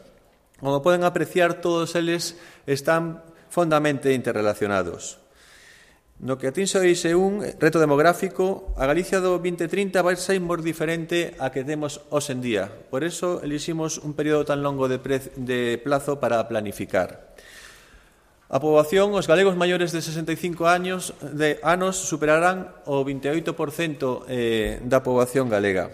Como poden apreciar, todos eles están fondamente interrelacionados. No que atinxe o eixe 1, reto demográfico, a Galicia do 2030 vai ser moi diferente a que temos hoxe en día. Por eso eliximos un período tan longo de plazo para planificar. A poboación, os galegos maiores de 65 anos superarán o 28% da poboación galega.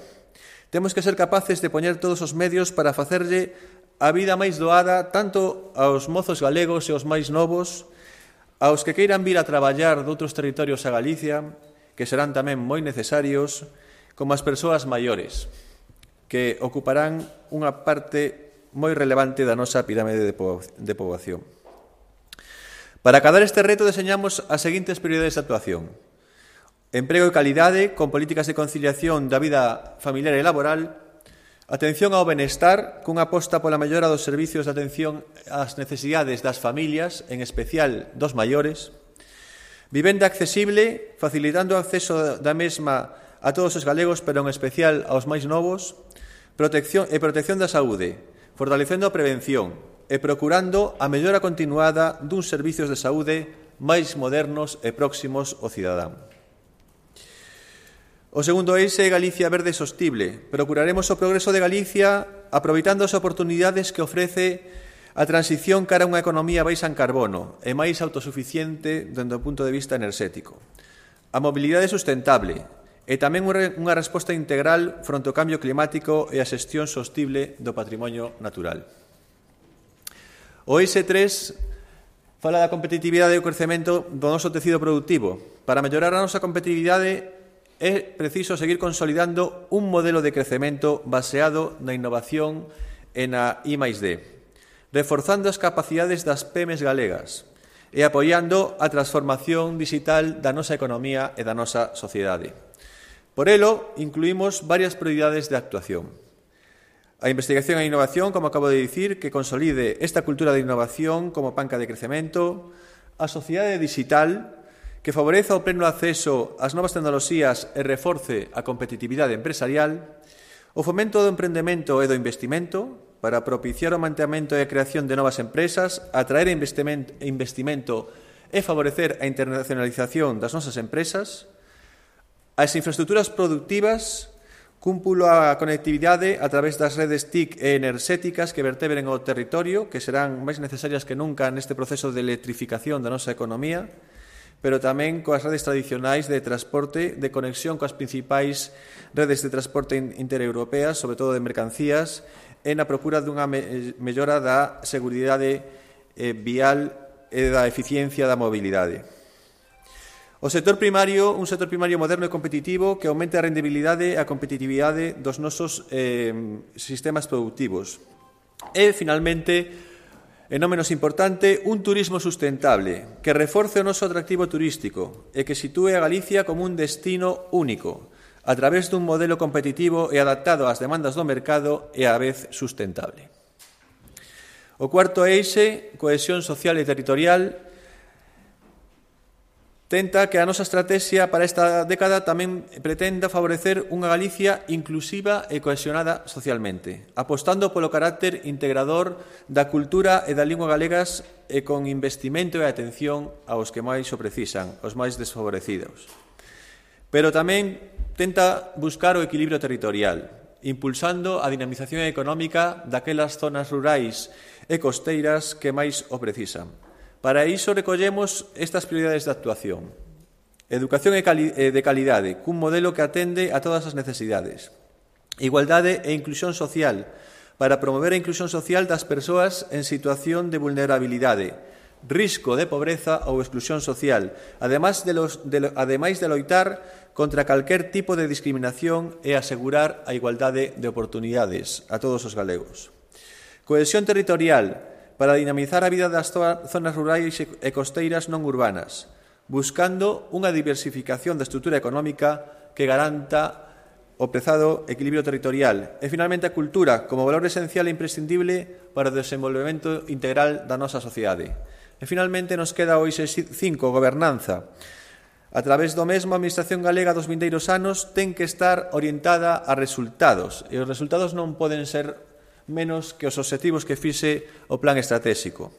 Temos que ser capaces de poñer todos os medios para facerlle a vida máis doada tanto aos mozos galegos e aos máis novos, aos que queiran vir a traballar doutros territorios a Galicia, que serán tamén moi necesarios, como as persoas maiores, que ocuparán unha parte moi relevante da nosa pirámide de poboación. Para acadar este reto deseñamos as seguintes prioridades de actuación: emprego e calidade, con políticas de conciliación da vida familiar e laboral; atención ao benestar, cunha aposta pola mellora dos servicios de atención ás necesidades das familias, en especial dos maiores; vivenda accesible, facilitando o acceso da mesma a todos os galegos, pero en especial aos máis novos; protección da saúde, fortalecendo a prevención e procurando a mellora continuada duns servicios de saúde máis modernos e próximos ao cidadán. O segundo eixe é Galicia verde sostible. Procuraremos o progreso de Galicia aproveitando as oportunidades que ofrece a transición cara a unha economía baixa en carbono e máis autosuficiente dende o punto de vista enerxético. A mobilidade sustentable e tamén unha resposta integral fronte ao cambio climático e a xestión sostible do patrimonio natural. O eixo 3 fala da competitividade e o crecemento do noso tecido productivo. Para mellorar a nosa competitividade é preciso seguir consolidando un modelo de crecemento baseado na innovación e na I+D, reforzando as capacidades das PEMEs galegas e apoiando a transformación digital da nosa economía e da nosa sociedade. Por elo, incluímos varias prioridades de actuación. A investigación e a innovación, como acabo de dicir, que consolide esta cultura de innovación como panca de crecemento, a sociedade digital, que favoreza o pleno acceso ás novas tecnoloxías e reforce a competitividade empresarial, o fomento do emprendemento e do investimento, para propiciar o mantemento e a creación de novas empresas, atraer investimento e favorecer a internacionalización das nosas empresas, as infraestructuras productivas, cúmpulo a conectividade a través das redes TIC e enerxéticas que vertebren o territorio, que serán máis necesarias que nunca neste proceso de electrificación da nosa economía, pero tamén coas redes tradicionais de transporte, de conexión coas principais redes de transporte intereuropeas, sobre todo de mercancías, e na procura dunha mellora da seguridade vial e da eficiencia da mobilidade. O sector primario, un sector primario moderno e competitivo que aumente a rendibilidade e a competitividade dos nosos sistemas productivos. E, finalmente, e non menos importante, un turismo sustentable que reforce o noso atractivo turístico e que sitúe a Galicia como un destino único, a través dun modelo competitivo e adaptado ás demandas do mercado e á vez sustentable. O cuarto eixe, cohesión social e territorial, tenta que a nosa estratexia para esta década tamén pretenda favorecer unha Galicia inclusiva e cohesionada socialmente, apostando polo carácter integrador da cultura e da lingua galegas e con investimento e atención aos que máis o precisan, os máis desfavorecidos. Pero tamén tenta buscar o equilibrio territorial, impulsando a dinamización económica daquelas zonas rurais e costeiras que máis o precisan. Para iso recollemos estas prioridades de actuación. Educación de calidade, cun modelo que atende a todas as necesidades. Igualdade e inclusión social, para promover a inclusión social das persoas en situación de vulnerabilidade, risco de pobreza ou exclusión social, ademais de loitar contra calquer tipo de discriminación e asegurar a igualdade de oportunidades a todos os galegos. Cohesión territorial, para dinamizar a vida das zonas rurais e costeiras non urbanas, buscando unha diversificación da estrutura económica que garanta o prezado equilibrio territorial. E, finalmente, a cultura como valor esencial e imprescindible para o desenvolvemento integral da nosa sociedade. E, finalmente, nos queda o eixe 5, gobernanza. A través do mesmo, a Administración galega dos vindeiros anos ten que estar orientada a resultados, e os resultados non poden ser menos que os obxectivos que fixe o plan estratégico.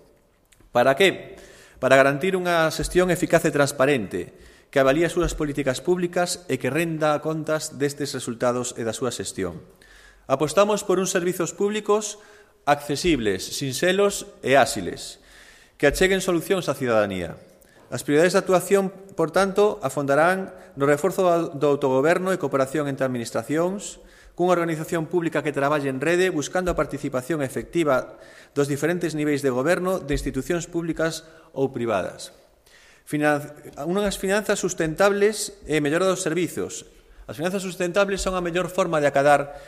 Para que? Para garantir unha xestión eficaz e transparente, que avalíe as súas políticas públicas e que renda a contas destes resultados e da súa xestión. Apostamos por uns servizos públicos accesibles, sinxelos e áxiles, que acheguen solucións á cidadanía. As prioridades de actuación, por tanto, afondarán no reforzo do autogoberno e cooperación entre administracións, cunha organización pública que traballe en rede, buscando a participación efectiva dos diferentes niveis de goberno de institucións públicas ou privadas. Unhas finanzas sustentables e mellora dos servizos. As finanzas sustentables son a mellor forma de acadar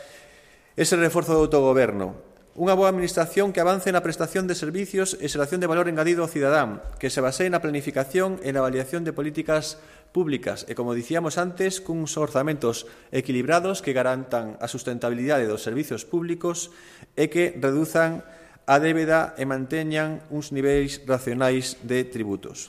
ese reforzo do autogoberno. Unha boa administración que avance na prestación de servicios e xeración de valor engadido ao cidadán, que se basee na planificación e na avaliación de políticas públicas e, como dicíamos antes, cuns orzamentos equilibrados que garantan a sustentabilidade dos servicios públicos e que reduzan a débeda e manteñan uns niveis razoables de tributos.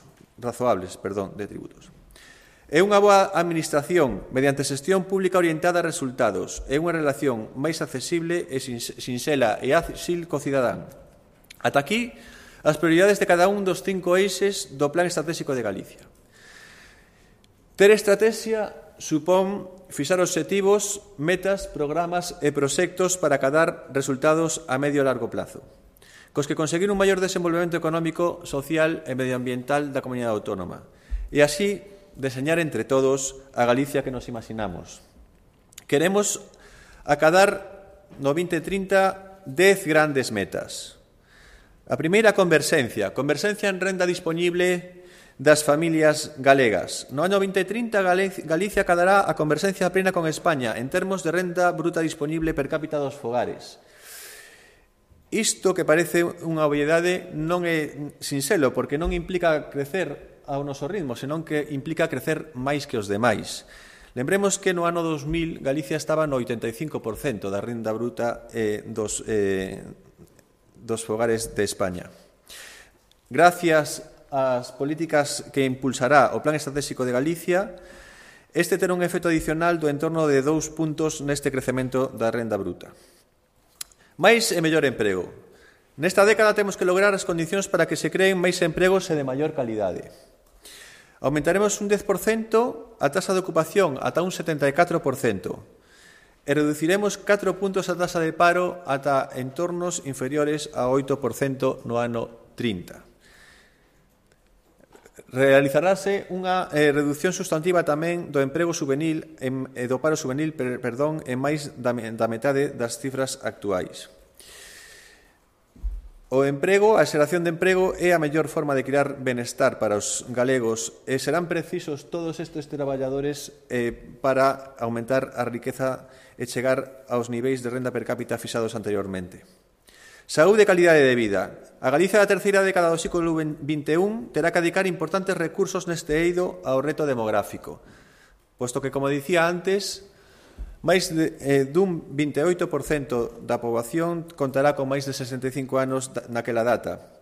É unha boa administración mediante xestión pública orientada a resultados e unha relación máis accesible e sinxela e áxil co cidadán. Ata aquí, as prioridades de cada un dos 5 eixes do Plan Estratégico de Galicia. Ter estrategia supón fixar obxectivos, metas, programas e proxectos para acadar resultados a medio e largo plazo, cos que conseguir un maior desenvolvemento económico, social e medioambiental da comunidade autónoma, e así deseñar entre todos a Galicia que nos imaginamos. Queremos acadar no 2030 10 grandes metas. A primeira, converxencia en renda disponible das familias galegas. No ano 2030, Galicia acadará a converxencia plena con España en termos de renda bruta disponible per cápita dos fogares. Isto que parece unha obviedade non é sinxelo, porque non implica crecer ao noso ritmo, senón que implica crecer máis que os demais. Lembremos que no ano 2000 Galicia estaba no 85% da renda bruta dos fogares de España. Gracias ás políticas que impulsará o Plan Estratégico de Galicia, este terá un efecto adicional do entorno de 2 puntos neste crecemento da renda bruta. Máis e mellor emprego. Nesta década temos que lograr as condicións para que se creen máis empregos e de maior calidade. Aumentaremos un 10% a taxa de ocupación ata un 74% e reduciremos 4 puntos a taxa de paro ata entornos inferiores a 8% no ano 30. Realizarase unha reducción sustantiva tamén do emprego juvenil e do paro juvenil, en máis da metade das cifras actuais. O emprego, a xeración de emprego é a mellor forma de crear benestar para os galegos e serán precisos todos estes traballadores para aumentar a riqueza e chegar aos niveis de renda per cápita fixados anteriormente. Saúde e calidade de vida. A Galicia da terceira década do século XXI terá que dedicar importantes recursos neste eido ao reto demográfico, posto que, como dicía antes, máis dun 28% da poboación contará con máis de 65 anos naquela data.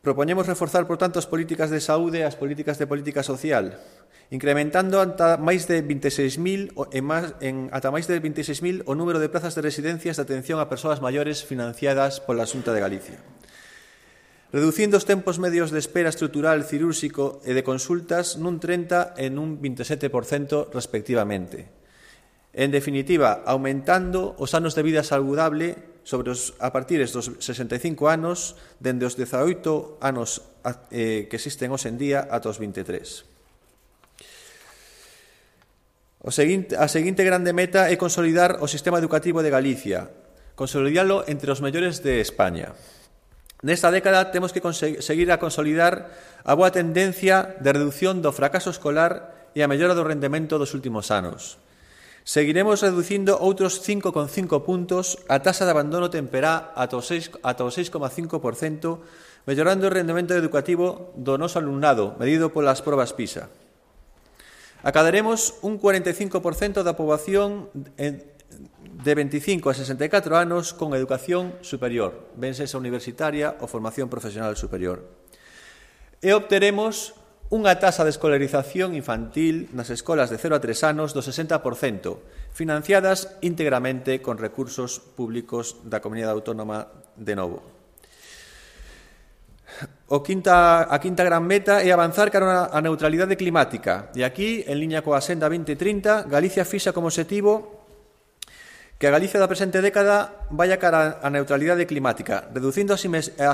Propoñemos reforzar, por tanto, as políticas de saúde e as políticas de política social, incrementando ata máis de 26.000 o número de plazas de residencias de atención a persoas maiores financiadas pola Xunta de Galicia. Reducindo os tempos medios de espera estrutural, cirúrxico e de consultas nun 30% e nun 27% respectivamente. En definitiva, aumentando os anos de vida saludable a partir dos 65 anos, dende os 18 anos que existen hoxe en día ata os 23. A seguinte grande meta é consolidar o sistema educativo de Galicia, consolidalo entre os mellores de España. Nesta década temos que seguir a consolidar a boa tendencia de reducción do fracaso escolar e a mellora do rendemento dos últimos anos. Seguiremos reducindo outros 5,5 puntos a taxa de abandono temperá ata o 6,5%, mellorando o rendemento educativo do noso alumnado, medido polas probas PISA. Acadaremos un 45% da poboación de 25 a 64 anos con educación superior, ben sexa universitaria ou formación profesional superior. E obteremos unha taxa de escolarización infantil nas escolas de 0 a 3 anos do 60%, financiadas íntegramente con recursos públicos da Comunidade Autónoma de novo. A quinta gran meta é avanzar cara á neutralidade climática. E aquí, en liña coa Axenda 2030, Galicia fixa como obxectivo que a Galicia da presente década vaya cara á neutralidade climática, reducindo as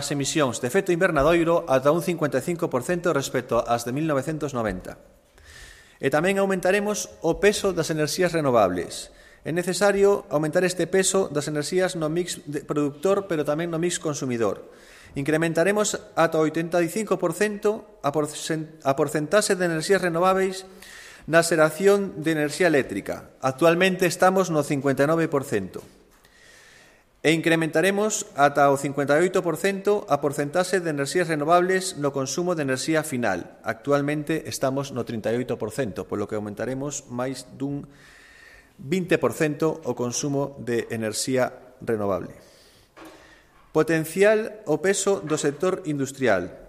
emisións de efecto invernadoiro ata un 55% respecto ás de 1990. E tamén aumentaremos o peso das enerxías renovables. É necesario aumentar este peso das enerxías no mix productor, pero tamén no mix consumidor. Incrementaremos ata o 85% a porcentaxe de enerxías renovables na xeración de enerxía eléctrica. Actualmente estamos no 59%. E incrementaremos ata o 58% a porcentaxe de enerxías renovables no consumo de enerxía final. Actualmente estamos no 38%, polo que aumentaremos máis dun 20% o consumo de enerxía renovable. Potencial o peso do sector industrial.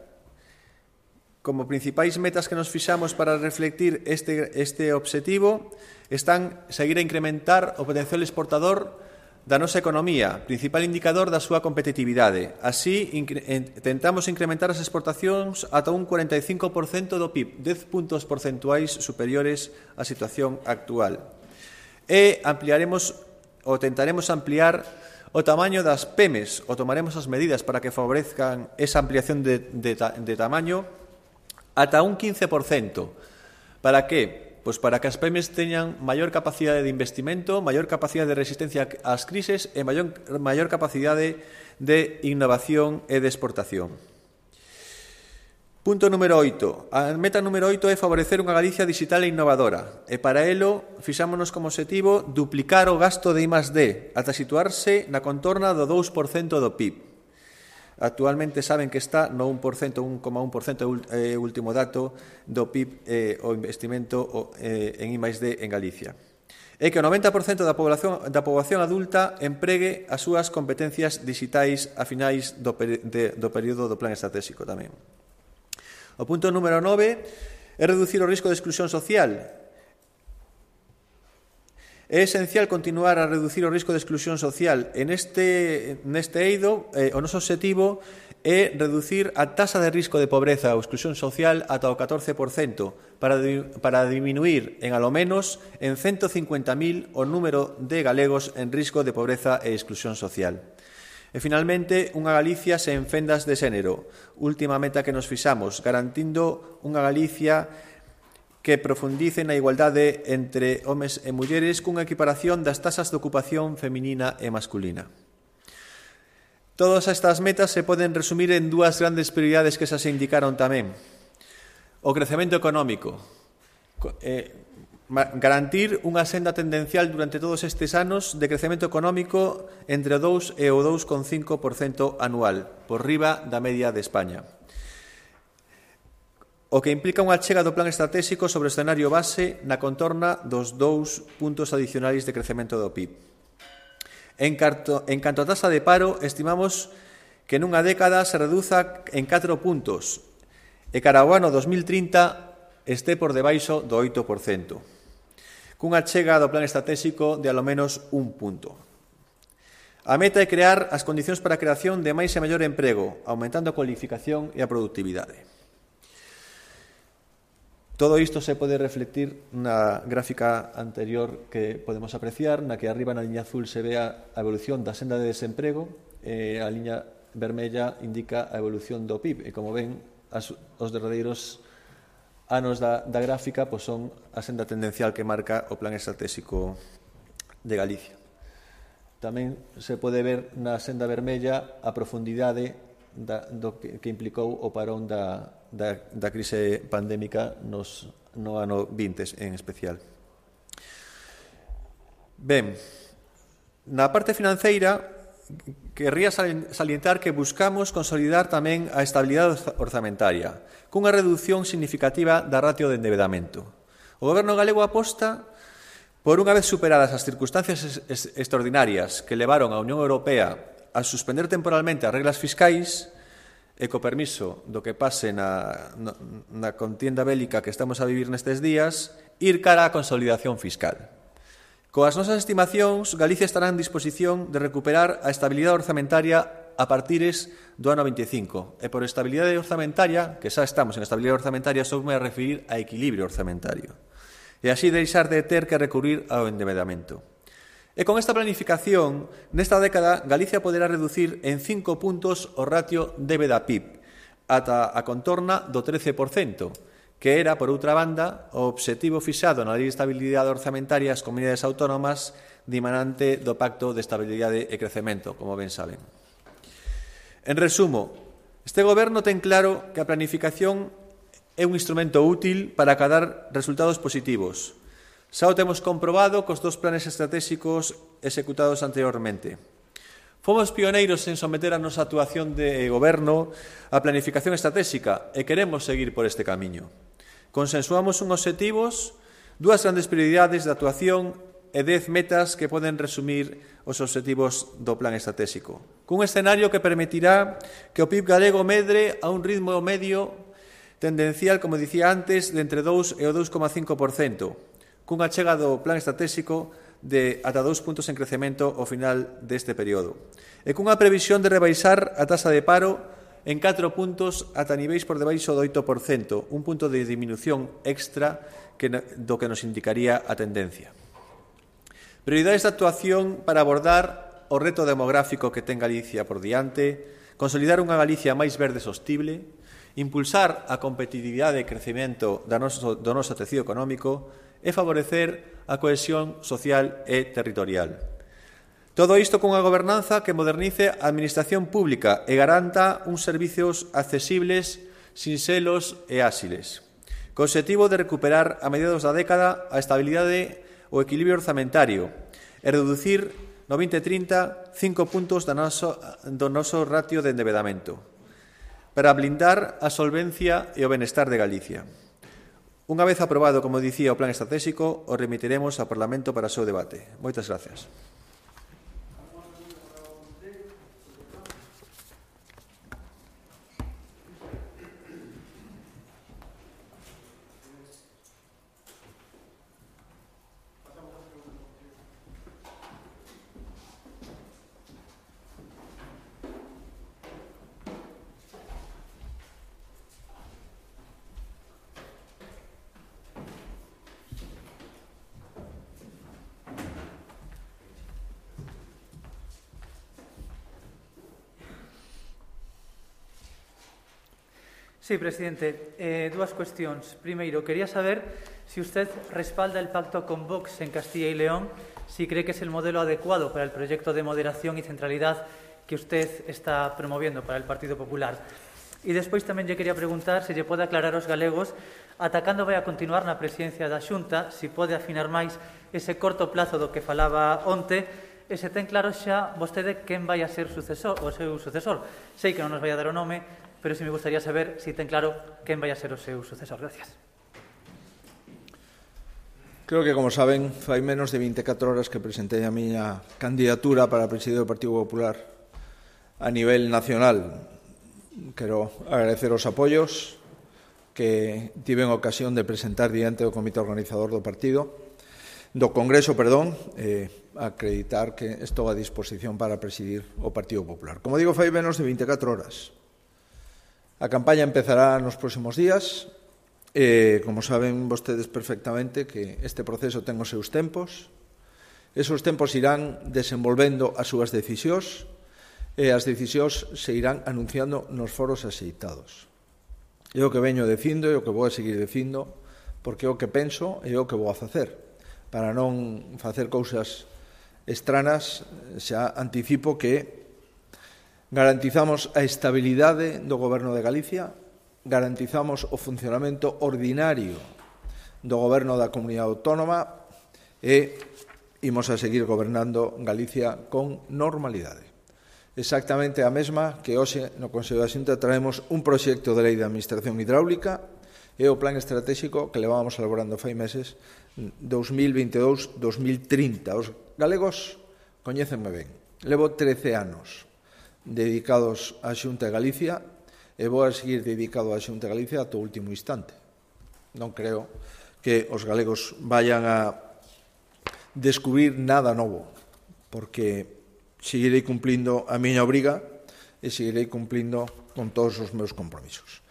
Como principais metas que nos fixamos para reflectir este obxectivo están seguir a incrementar o potencial exportador da nosa economía, principal indicador da súa competitividade. Así, tentamos incrementar as exportacións ata un 45% do PIB, 10 puntos porcentuais superiores á situación actual. E tentaremos ampliar o tamaño das PEMES, ou tomaremos as medidas para que favorezcan esa ampliación de tamaño ata un 15%. Para que? Pois para que as PEMES teñan maior capacidade de investimento, maior capacidade de resistencia ás crises e maior capacidade de innovación e de exportación. Punto número 8. A meta número 8 é favorecer unha Galicia digital e innovadora. E para elo, fixámonos como objetivo duplicar o gasto de I+D ata situarse na contorna do 2% do PIB. Actualmente saben que está no 1%, 1,1% é o último dato do PIB o investimento en I+D en Galicia. E que o 90% da poboación adulta empregue as súas competencias digitais a finais do período do plan estratégico tamén. O punto número 9 é reducir o risco de exclusión social. É esencial continuar a reducir o risco de exclusión social. Neste eido, o noso objetivo é reducir a taxa de risco de pobreza ou exclusión social ata o 14% para diminuir en alo menos en 150.000 o número de galegos en risco de pobreza e exclusión social. E, finalmente, unha Galicia sen fendas de xénero. Última meta que nos fixamos, garantindo unha Galicia que profundice na igualdade entre homes e mulleres cunha equiparación das taxas de ocupación feminina e masculina. Todas estas metas se poden resumir en dúas grandes prioridades que xa se indicaron tamén. O crecemento económico. Garantir unha senda tendencial durante todos estes anos de crecemento económico entre o 2 e o 2,5% anual, por riba da media de España. O que implica unha achega do plan estratégico sobre o escenario base na contorna dos 2 puntos adicionais de crecemento do PIB. En canto a taxa de paro, estimamos que nunha década se reduza en 4 puntos e cara ao ano 2030 este por debaixo do 8%. Cunha chega do plan estratégico de alo menos un punto. A meta é crear as condicións para a creación de máis e mellor emprego, aumentando a cualificación e a produtividade. Todo isto se pode reflectir na gráfica anterior que podemos apreciar, na que arriba na liña azul se ve a evolución da senda de desemprego e a liña vermella indica a evolución do PIB. E como ven, os derradeiros anos da gráfica pois son a senda tendencial que marca o plan estratégico de Galicia. Tamén se pode ver na senda vermella a profundidade do que implicou o parón da crise pandémica no ano 20 en especial. Ben, na parte financeira querría salientar que buscamos consolidar tamén a estabilidade orzamentaria cunha reducción significativa da ratio de endebedamento. O Goberno galego aposta por unha vez superadas as circunstancias extraordinarias que levaron a Unión Europea a suspender temporalmente as reglas fiscais e co permiso do que pase na contienda bélica que estamos a vivir nestes días, ir cara á consolidación fiscal. Coas nosas estimacións, Galicia estará en disposición de recuperar a estabilidade orzamentaria a partires do ano 25. E por estabilidade orzamentaria, que xa estamos en estabilidade orzamentaria, só me a referir a equilibrio orzamentario. E así deixar de ter que recurrir ao endebedamento. E con esta planificación, nesta década, Galicia poderá reducir en 5 puntos o ratio débeda-PIB ata a contorna do 13%, que era, por outra banda, o obxectivo fixado na Lei de Estabilidade Orzamentaria ás comunidades autónomas dimanante do Pacto de Estabilidade e Crecemento, como ben saben. En resumo, este Goberno ten claro que a planificación é un instrumento útil para acadar resultados positivos. Xa o temos comprobado cos 2 planes estratégicos executados anteriormente. Fomos pioneiros en someter a nosa actuación de Goberno á planificación estratégica e queremos seguir por este camiño. Consensuamos uns obxectivos, 2 grandes prioridades de actuación e 10 metas que poden resumir os obxectivos do plan estratégico. Cun escenario que permitirá que o PIB galego medre a un ritmo medio tendencial, como dicía antes, de entre 2 e o 2,5%, cunha chega do plan estratégico de ata 2 puntos en crecemento ao final deste período, e cunha previsión de rebaixar a taxa de paro en 4 puntos ata niveis por debaixo do 8%, un punto de disminución extra do que nos indicaría a tendencia. Prioridades de actuación para abordar o reto demográfico que ten Galicia por diante, consolidar unha Galicia máis verde e sostible, impulsar a competitividade e crecemento do noso tecido económico e favorecer a cohesión social e territorial. Todo isto cunha gobernanza que modernice a administración pública e garanta uns servizos accesibles, sinxelos e áxiles, co obxectivo de recuperar a mediados da década a estabilidade o equilibrio orzamentario e reducir no 2030 5 puntos do noso ratio de endebedamento para blindar a solvencia e o benestar de Galicia. Unha vez aprobado, como dicía, o plan estratégico, o remitiremos ao Parlamento para o seu debate. Moitas gracias. Sí, presidente. Dúas cuestións. Primeiro, quería saber si usted respalda el pacto con Vox en Castilla y León, si cree que es el modelo adecuado para el proyecto de moderación y centralidad que usted está promoviendo para el Partido Popular. E despois tamén lle quería preguntar se lle pode aclarar aos galegos, atacando vai a continuar na presidencia da Xunta, si pode afinar máis ese corto plazo do que falaba onte, e se ten claro xa vostede quen vai a ser o seu sucesor. Sei que non nos vai a dar o nome, pero si me gustaría saber si ten claro quen vai a ser o seu sucesor. Gracias. Creo que, como saben, fai menos de 24 horas que presentei a miña candidatura para presidir o Partido Popular a nivel nacional. Quero agradecer os apoios que tiven ocasión de presentar diante do Comité Organizador do Congreso, acreditar que estou a disposición para presidir o Partido Popular. Como digo, fai menos de 24 horas. A campaña empezará nos próximos días. Como saben vostedes perfectamente que este proceso ten os seus tempos. Esos tempos irán desenvolvendo as súas decisións e as decisións se irán anunciando nos foros axeitados. É o que veño dicindo e o que vou a seguir dicindo, porque é o que penso e é o que vou a facer. Para non facer cousas estranas, xa anticipo que garantizamos a estabilidade do Goberno de Galicia, garantizamos o funcionamento ordinario do Goberno da Comunidade Autónoma e imos a seguir gobernando Galicia con normalidade. Exactamente a mesma que hoxe no Consello da Xunta traemos un proxecto de lei de administración hidráulica e o plan estratégico que levábamos elaborando fai meses 2022-2030. Os galegos coñécenme ben. Levo 13 anos dedicados á Xunta de Galicia e vou a seguir dedicado á Xunta de Galicia ata o último instante. Non creo que os galegos vayan a descubrir nada novo, porque seguirei cumplindo a miña obriga e seguirei cumplindo con todos os meus compromisos.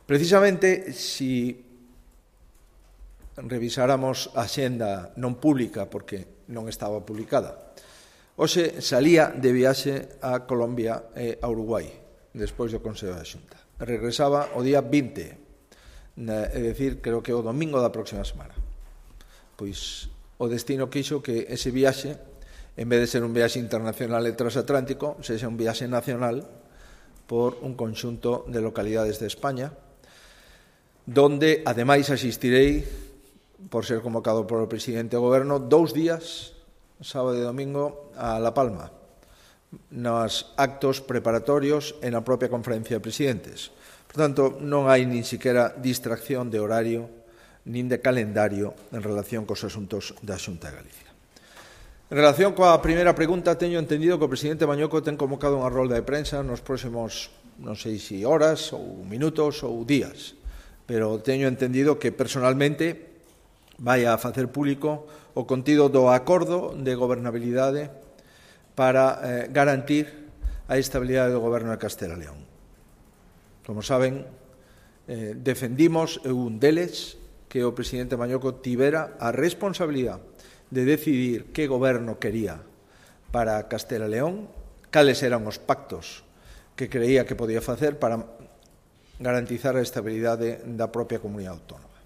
Precisamente, si revisáramos a xenda non pública, porque non estaba publicada, hoxe salía de viaxe a Colombia e a Uruguai, despois do Consello da Xunta. Regresaba o día 20, é dicir, creo que o domingo da próxima semana. Pois o destino quixo que ese viaxe, en vez de ser un viaxe internacional e transatlántico, sexa un viaxe nacional por un conxunto de localidades de España, donde, ademais, asistirei, por ser convocado por o presidente do Goberno, 2 días, sábado e domingo, a La Palma, nos actos preparatorios e na propia conferencia de presidentes. Por tanto, non hai nin siquiera distracción de horario nin de calendario en relación cos asuntos da Xunta de Galicia. En relación coa primeira pregunta, teño entendido que o presidente Mañoco ten convocado unha rolda de prensa nos próximos, non sei se horas ou minutos ou días, pero teño entendido que personalmente vai a facer público o contido do acordo de gobernabilidade para garantir a estabilidade do Goberno de Castela e León. Como saben, defendimos un deles que o presidente Mañoco tivera a responsabilidade de decidir que goberno quería para Castela e León, cales eran os pactos que creía que podía facer para garantizar a estabilidade da propia comunidade autónoma.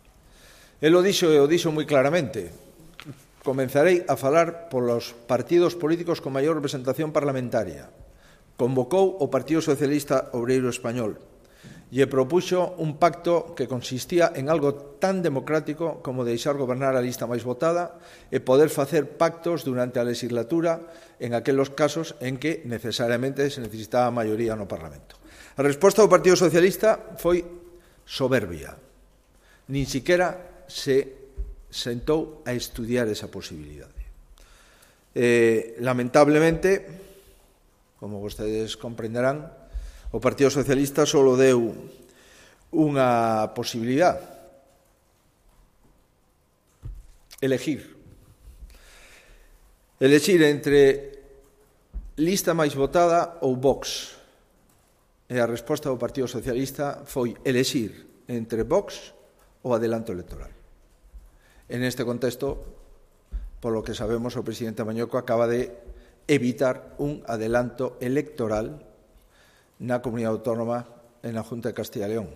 El o dixo moi claramente. Comenzarei a falar polos partidos políticos con maior representación parlamentaria. Convocou o Partido Socialista Obreiro Español e propuxo un pacto que consistía en algo tan democrático como deixar gobernar a lista máis votada e poder facer pactos durante a legislatura en aqueles casos en que necesariamente se necesitaba a maioría no Parlamento. A resposta do Partido Socialista foi soberbia. Nin siquiera se sentou a estudiar esa posibilidade. Lamentablemente, como vostedes comprenderán, o Partido Socialista só deu unha posibilidade: elegir entre lista máis votada ou Vox. E a resposta do Partido Socialista foi elexir entre Vox ou adelanto electoral. En este contexto, polo que sabemos, o presidente Mañueco acaba de evitar un adelanto electoral na comunidade autónoma en la Junta de Castilla y León.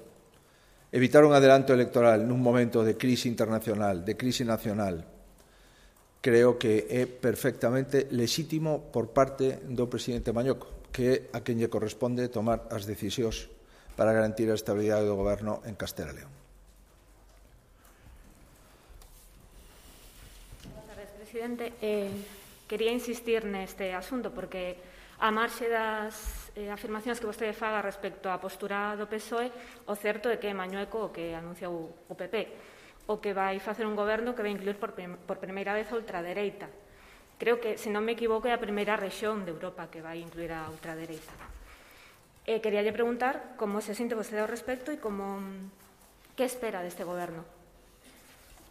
Evitar un adelanto electoral nun momento de crise internacional, de crise nacional, creo que é perfectamente lexítimo por parte do presidente Mañueco, que é a quen lle corresponde tomar as decisións para garantir a estabilidade do goberno en Castela e León. Presidente, quería insistir neste asunto porque a marxe das afirmacións que vostede faga respecto á postura do PSOE, o certo é que Mañueco, o que anunciou o PP, o que vai facer un goberno que vai incluir por primeira vez a ultradereita. Creo que, se non me equivoco, é a primeira rexión de Europa que vai incluir a ultradereita. Queríalle preguntar como se sinte vostede ao respecto e que espera deste goberno.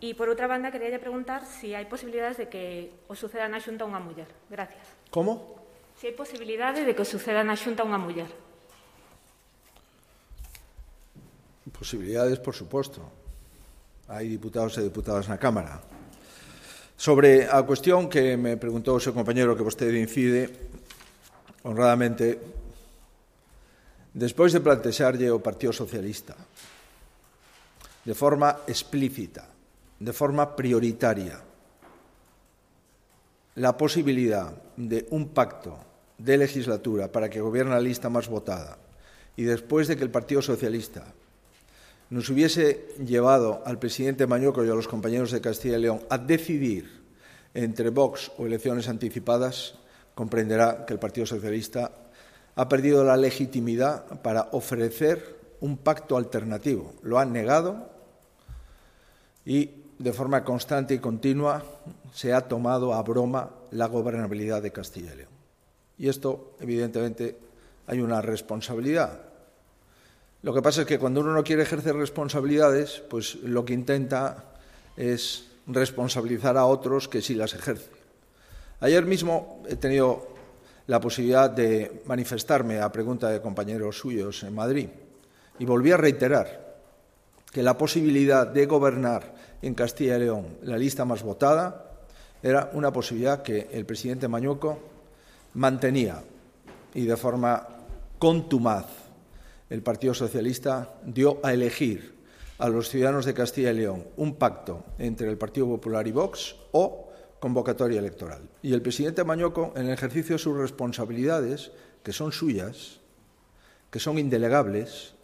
E, por outra banda, queríalle preguntar se hai posibilidades de que o suceda na Xunta unha muller. Gracias. Como? Se hai posibilidade de que o suceda na Xunta unha muller. Posibilidades, por suposto. Hai diputados e diputadas na Cámara. Sobre a cuestión que me preguntou o seu compañero que vostede incide, honradamente, despois de plantexarlle o Partido Socialista de forma explícita, de forma prioritaria, la posibilidad de un pacto de legislatura para que gobierne la lista más votada y después de que el Partido Socialista nos hubiese llevado al presidente Mañueco y a los compañeros de Castilla y León a decidir entre Vox o elecciones anticipadas, comprenderá que el Partido Socialista ha perdido la legitimidad para ofrecer un pacto alternativo. Lo han negado y de forma constante y continua se ha tomado a broma la gobernabilidad de Castilla y León. Y esto, evidentemente, hay una responsabilidad. Lo que pasa es que cuando uno no quiere ejercer responsabilidades, pues lo que intenta es responsabilizar a otros que sí las ejerce. Ayer mismo he tenido la posibilidad de manifestarme a pregunta de compañeros suyos en Madrid y volví a reiterar que la posibilidad de gobernar en Castilla y León la lista más votada era una posibilidad que el presidente Mañueco mantenía y de forma contumaz el Partido Socialista dio a elegir a los ciudadanos de Castilla y León un pacto entre el Partido Popular y Vox o convocatoria electoral. Y el presidente Mañueco, en el ejercicio de sus responsabilidades, que son suyas, que son indelegables,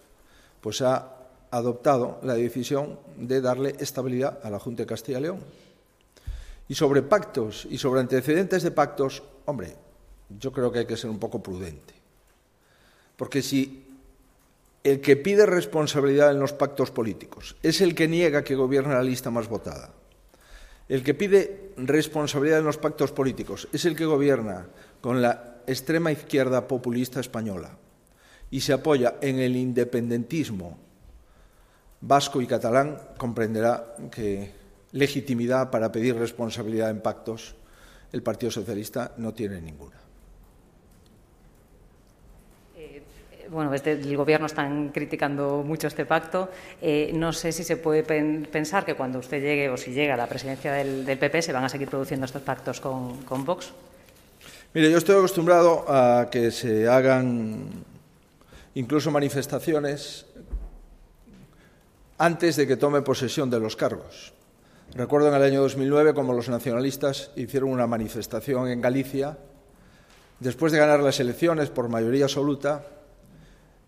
pues ha adoptado la decisión de darle estabilidad a la Junta de Castilla y León. Y sobre pactos y sobre antecedentes de pactos, hombre, yo creo que hay que ser un poco prudente. Porque si el que pide responsabilidad en los pactos políticos es el que niega que gobierne la lista más votada, el que pide responsabilidad en los pactos políticos es el que gobierna con la extrema izquierda populista española y se apoya en el independentismo vasco y catalán, comprenderá que legitimidad para pedir responsabilidad en pactos el Partido Socialista no tiene ninguna. Bueno, desde el Gobierno están criticando mucho este pacto. No sé si se puede pensar que cuando usted llegue o si llega a la presidencia del PP se van a seguir produciendo estos pactos con Vox. Mire, yo estoy acostumbrado a que se hagan incluso manifestaciones antes de que tome posesión de los cargos. Recuerdo en el año 2009 como los nacionalistas hicieron una manifestación en Galicia después de ganar las elecciones por mayoría absoluta,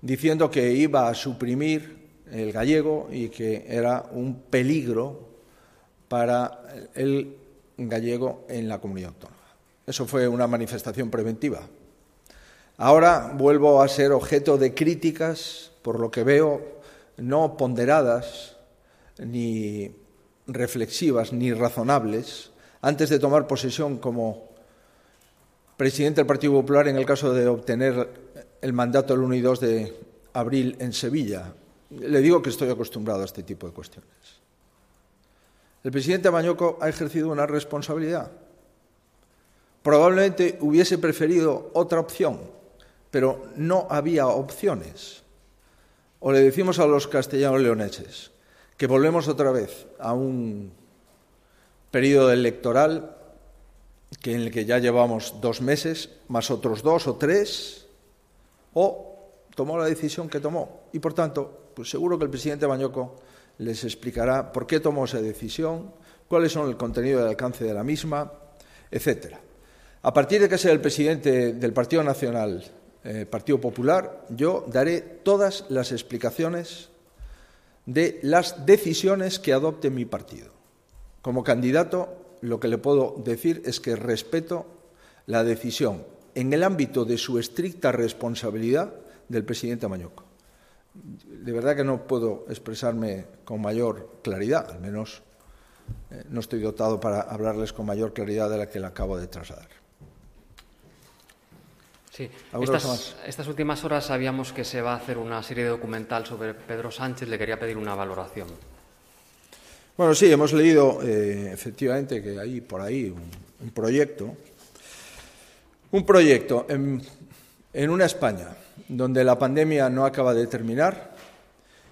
diciendo que iba a suprimir el gallego y que era un peligro para el gallego en la comunidad autónoma. Eso fue una manifestación preventiva. Ahora vuelvo a ser objeto de críticas, por lo que veo, no ponderadas, ni reflexivas, ni razonables, antes de tomar posesión como presidente del Partido Popular en el caso de obtener el mandato el 1 y 2 de abril en Sevilla. Le digo que estoy acostumbrado a este tipo de cuestiones. El presidente Mañueco ha ejercido una responsabilidad. Probablemente hubiese preferido otra opción, pero no había opciones. O le decimos a los castellanos leoneses que volvemos otra vez a un periodo electoral en el que ya llevamos 2 meses, más otros 2 o 3, o tomó la decisión que tomó. Y, por tanto, pues seguro que el presidente Mañueco les explicará por qué tomó esa decisión, cuáles son el contenido y el alcance de la misma, etcétera. A partir de que sea el presidente del Partido Nacional, Partido Popular, yo daré todas las explicaciones de las decisiones que adopte mi partido. Como candidato, lo que le puedo decir es que respeto la decisión en el ámbito de su estricta responsabilidad del presidente Mañueco. De verdad que no puedo expresarme con mayor claridad, al menos no estoy dotado para hablarles con mayor claridad de la que le acabo de trasladar. Sí, estas últimas horas sabíamos que se va a hacer una serie documental sobre Pedro Sánchez. Le quería pedir una valoración. Bueno, sí, hemos leído efectivamente que hay por ahí un proyecto en una España donde la pandemia no acaba de terminar,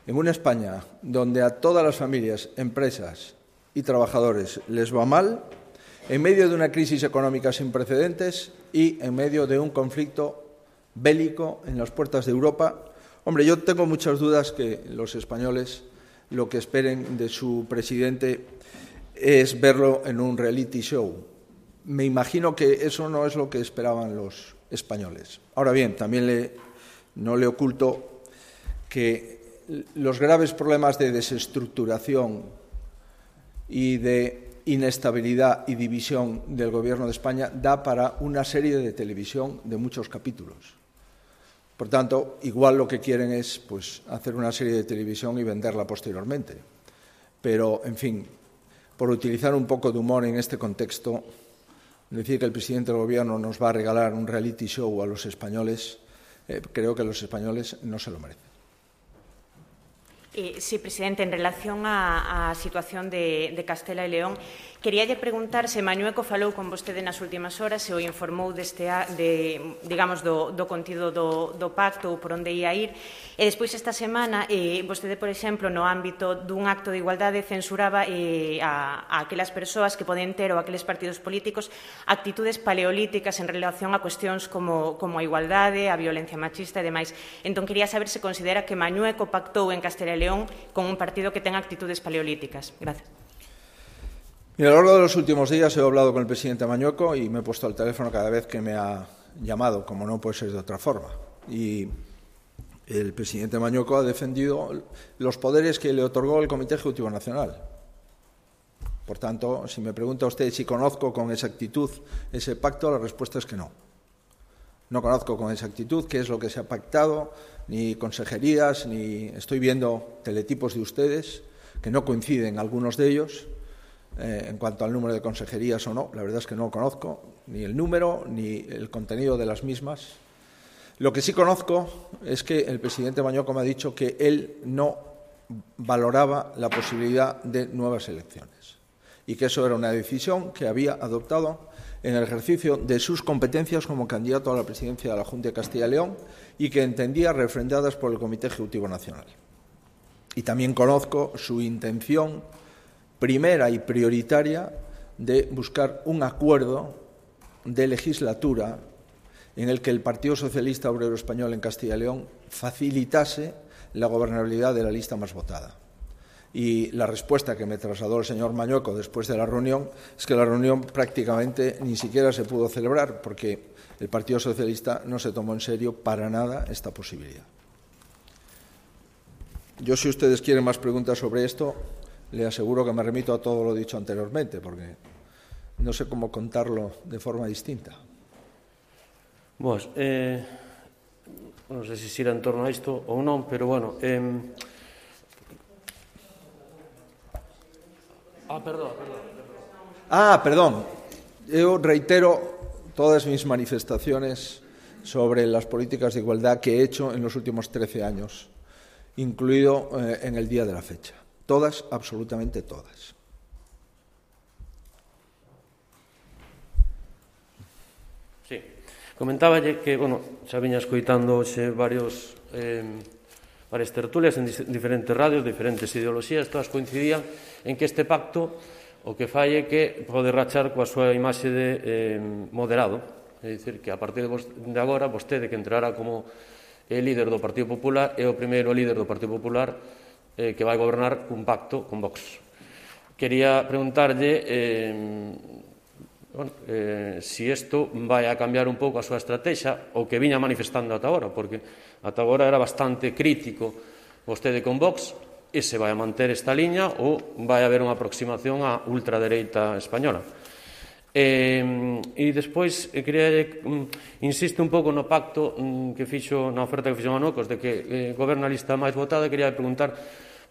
en una España donde a todas las familias, empresas y trabajadores les va mal, en medio de una crisis económica sin precedentes y en medio de un conflicto bélico en las puertas de Europa. Hombre, yo tengo muchas dudas que los españoles lo que esperen de su presidente es verlo en un reality show. Me imagino que eso no es lo que esperaban los españoles. Ahora bien, también no le oculto que los graves problemas de desestructuración y de inestabilidad y división del Gobierno de España da para una serie de televisión de muchos capítulos. Por tanto, igual lo que quieren es hacer una serie de televisión y venderla posteriormente. Pero, en fin, por utilizar un poco de humor en este contexto, decir que el presidente del Gobierno nos va a regalar un reality show a los españoles, creo que los españoles no se lo merecen. Sí, presidente, en relación á situación de Castela e León, queríalle preguntar se Mañueco falou con vostede nas últimas horas, se o informou do contido do pacto ou por onde ia ir, e despois esta semana vostede, por exemplo, no ámbito dun acto de igualdade censuraba a aquelas persoas que poden ter ou aqueles partidos políticos actitudes paleolíticas en relación a cuestións como a igualdade, a violencia machista e demais. Entón, quería saber se considera que Mañueco pactou en Castela e León con un partido que ten actitudes paleolíticas. Gracias. Mira, a lo largo de los últimos días he hablado con el presidente Mañueco y me he puesto al teléfono cada vez que me ha llamado, como no puede ser de otra forma. Y el presidente Mañueco ha defendido los poderes que le otorgó el Comité Ejecutivo Nacional. Por tanto, si me pregunta usted si conozco con exactitud ese pacto, la respuesta es que no. No conozco con exactitud qué es lo que se ha pactado, ni consejerías, ni estoy viendo teletipos de ustedes, que no coinciden algunos de ellos, en cuanto al número de consejerías o no. La verdad es que no conozco ni el número ni el contenido de las mismas. Lo que sí conozco es que el presidente Mañueco me ha dicho que él no valoraba la posibilidad de nuevas elecciones y que eso era una decisión que había adoptado en el ejercicio de sus competencias como candidato a la presidencia de la Junta de Castilla y León y que entendía refrendadas por el Comité Ejecutivo Nacional. Y también conozco su intención primera y prioritaria de buscar un acuerdo de legislatura en el que el Partido Socialista Obrero Español en Castilla y León facilitase la gobernabilidad de la lista más votada. Y la respuesta que me trasladó el señor Mañueco después de la reunión es que la reunión prácticamente ni siquiera se pudo celebrar porque el Partido Socialista no se tomó en serio para nada esta posibilidad. Yo, si ustedes quieren más preguntas sobre esto, le aseguro que me remito a todo lo dicho anteriormente, porque no sé cómo contarlo de forma distinta. Non sei se xira en torno a isto ou non, pero bueno... Perdón. Yo reitero todas mis manifestaciones sobre las políticas de igualdad que he hecho en los últimos 13 años, incluido en el día de la fecha. Todas, absolutamente todas. Sí. Comentáballe que, xa viña escoitando hoxe varias tertulias en diferentes radios, diferentes ideoloxías, todas coincidían en que este pacto o que fai é que pode rachar coa súa imaxe de moderado, é dicir, que a partir de agora vostede que entrará como líder do Partido Popular é o primeiro líder do Partido Popular que vai gobernar un pacto con Vox. Quería preguntarlle si isto vai a cambiar un pouco a súa estrategia o que viña manifestando ata agora, porque ata agora era bastante crítico vostede con Vox, e se vai a manter esta liña ou vai haber unha aproximación á ultradereita española. E despois, insiste un pouco no pacto que fixo, na oferta que fixo Manuecos, de que goberna a lista máis votada, quería preguntar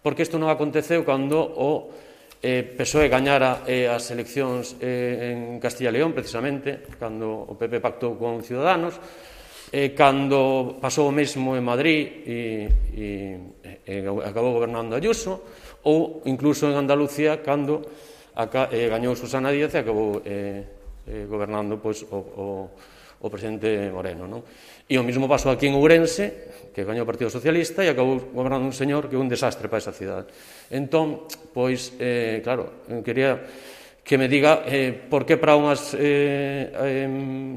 por que isto non aconteceu cando o PSOE gañara as eleccións en Castilla e León, precisamente, cando o PP pactou con Ciudadanos, cando pasou o mesmo en Madrid e acabou gobernando Ayuso, ou incluso en Andalucía, cando gañou Susana Díaz e acabou gobernando o presidente Moreno. E o mesmo pasou aquí en Ourense, que gañou o Partido Socialista e acabou gobernando un señor que é un desastre para esa cidade. Entón, pois, claro, quería que me diga por que para unhas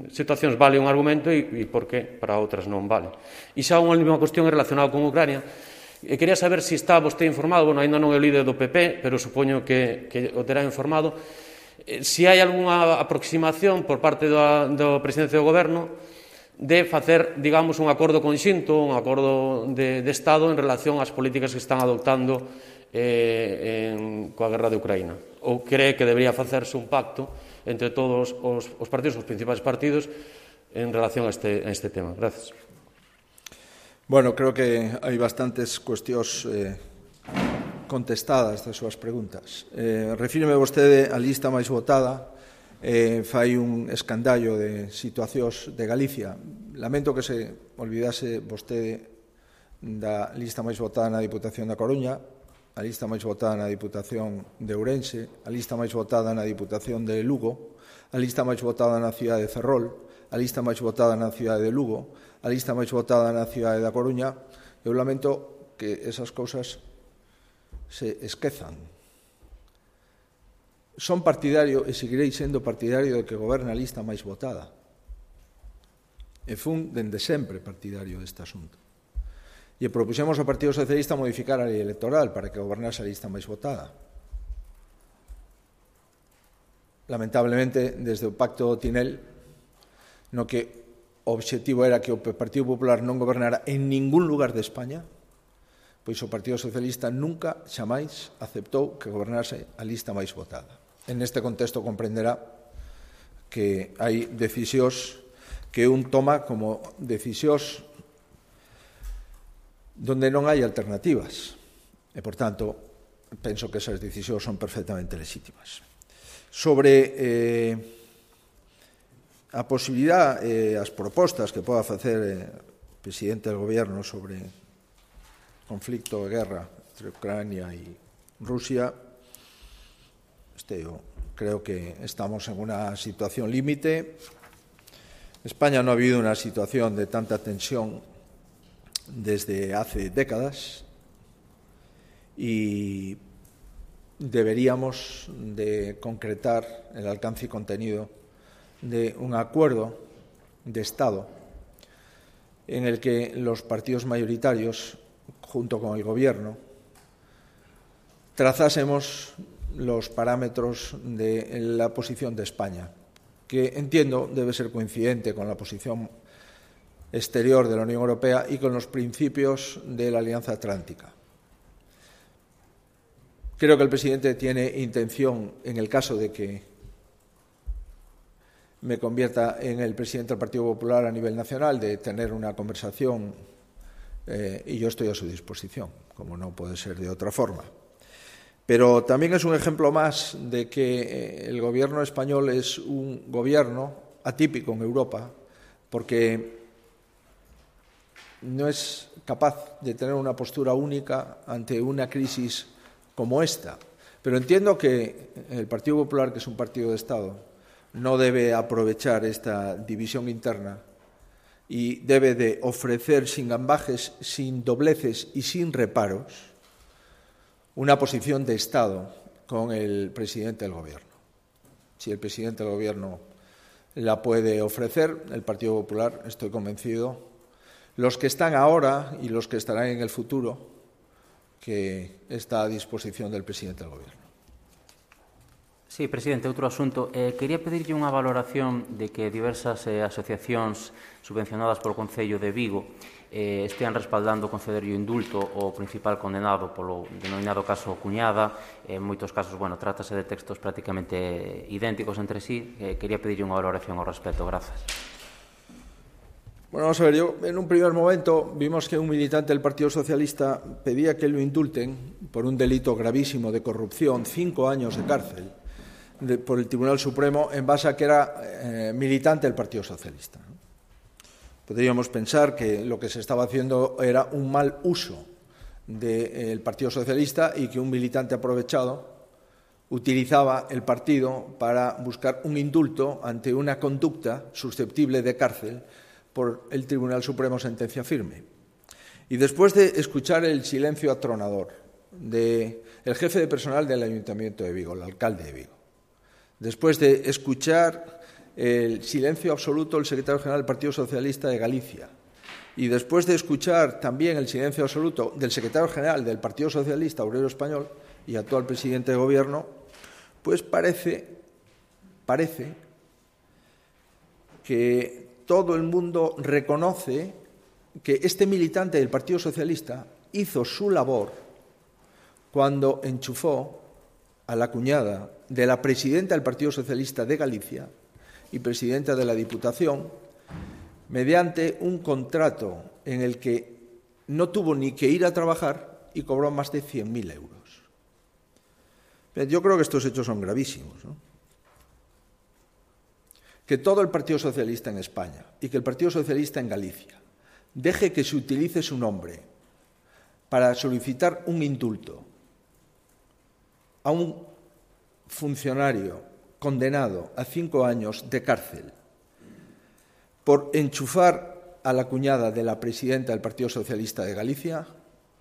situacións vale un argumento e por que para outras non vale. E xa unha última cuestión relacionada con Ucrania. Quería saber se está vostede informado, ainda non é o líder do PP, pero supoño que o terá informado, se hai algunha aproximación por parte do presidente do Goberno de facer, digamos, un acordo conxunto, un acordo de Estado en relación ás políticas que están adoptando coa guerra de Ucraína. Ou cree que debería facerse un pacto entre todos os partidos, os principais partidos, en relación a este tema. Gracias. Bueno, creo que hai bastantes cuestións contestadas das súas preguntas. Refíreme vostede á lista máis votada, fai un escandallo de situacións de Galicia. Lamento que se olvidase vostede da lista máis votada na Diputación da Coruña, a lista máis votada na Diputación de Ourense, a lista máis votada na Diputación de Lugo, a lista máis votada na cidade de Ferrol, a lista máis votada na cidade de Lugo, a lista máis votada na cidade da Coruña. Eu lamento que esas cousas se esquezan. Son partidario e seguirei sendo partidario de que goberna a lista máis votada. E fun dende sempre partidario deste asunto. E propuxemos ao Partido Socialista modificar a lei electoral para que gobernase a lista máis votada. Lamentablemente, desde o Pacto Tinel, no que o obxectivo era que o Partido Popular non gobernara en ningún lugar de España, pois o Partido Socialista nunca, xamais, aceptou que gobernase a lista máis votada. En este contexto comprenderá que hai decisións que un toma como decisións donde non hai alternativas. E, por tanto, penso que esas decisións son perfectamente legítimas. Sobre a posibilidad e as propostas que poda facer o presidente do Goberno sobre conflicto e guerra entre Ucrania e Rusia, eu creo que estamos en unha situación límite. España non ha habido unha situación de tanta tensión desde hace décadas y deberíamos de concretar el alcance y contenido de un acuerdo de Estado en el que los partidos mayoritarios, junto con el Gobierno, trazásemos los parámetros de la posición de España, que entiendo debe ser coincidente con la posición exterior de la Unión Europea y con los principios de la Alianza Atlántica. Creo que el presidente tiene intención, en el caso de que me convierta en el presidente del Partido Popular a nivel nacional, de tener una conversación y yo estoy a su disposición, como no puede ser de otra forma. Pero también es un ejemplo más de que el gobierno español es un gobierno atípico en Europa, porque no es capaz de tener una postura única ante una crisis como esta. Pero entiendo que el Partido Popular, que es un partido de Estado, no debe aprovechar esta división interna y debe de ofrecer sin ambajes, sin dobleces y sin reparos una posición de Estado con el presidente del Gobierno. Si el presidente del Gobierno la puede ofrecer, el Partido Popular, estoy convencido, los que están ahora y los que estarán en el futuro, que está a disposición del presidente del Gobierno. Sí, presidente, outro asunto. Quería pedirlle unha valoración de que diversas asociacións subvencionadas polo Concello de Vigo estean respaldando conceder o indulto ao principal condenado polo denominado caso Cuñada. En moitos casos, trátase de textos prácticamente idénticos entre sí. Quería pedirlle unha valoración ao respecto. Grazas. Bueno, vamos a ver, en un primer momento vimos que un militante del Partido Socialista pedía que lo indulten por un delito gravísimo de corrupción, 5 años de cárcel, por el Tribunal Supremo, en base a que era militante del Partido Socialista. Podríamos pensar que lo que se estaba haciendo era un mal uso del Partido Socialista y que un militante aprovechado utilizaba el partido para buscar un indulto ante una conducta susceptible de cárcel por el Tribunal Supremo, sentencia firme. Y después de escuchar el silencio atronador del jefe de personal del Ayuntamiento de Vigo, el alcalde de Vigo, después de escuchar el silencio absoluto del secretario general del Partido Socialista de Galicia y después de escuchar también el silencio absoluto del secretario general del Partido Socialista Obrero Español y actual presidente de Gobierno, pues parece que todo el mundo reconoce que este militante del Partido Socialista hizo su labor cuando enchufó a la cuñada de la presidenta del Partido Socialista de Galicia y presidenta de la Diputación mediante un contrato en el que no tuvo ni que ir a trabajar y cobró más de 100.000 euros. Yo creo que estos hechos son gravísimos, ¿no? Que todo el Partido Socialista en España y que el Partido Socialista en Galicia deje que se utilice su nombre para solicitar un indulto a un funcionario condenado a 5 años de cárcel por enchufar a la cuñada de la presidenta del Partido Socialista de Galicia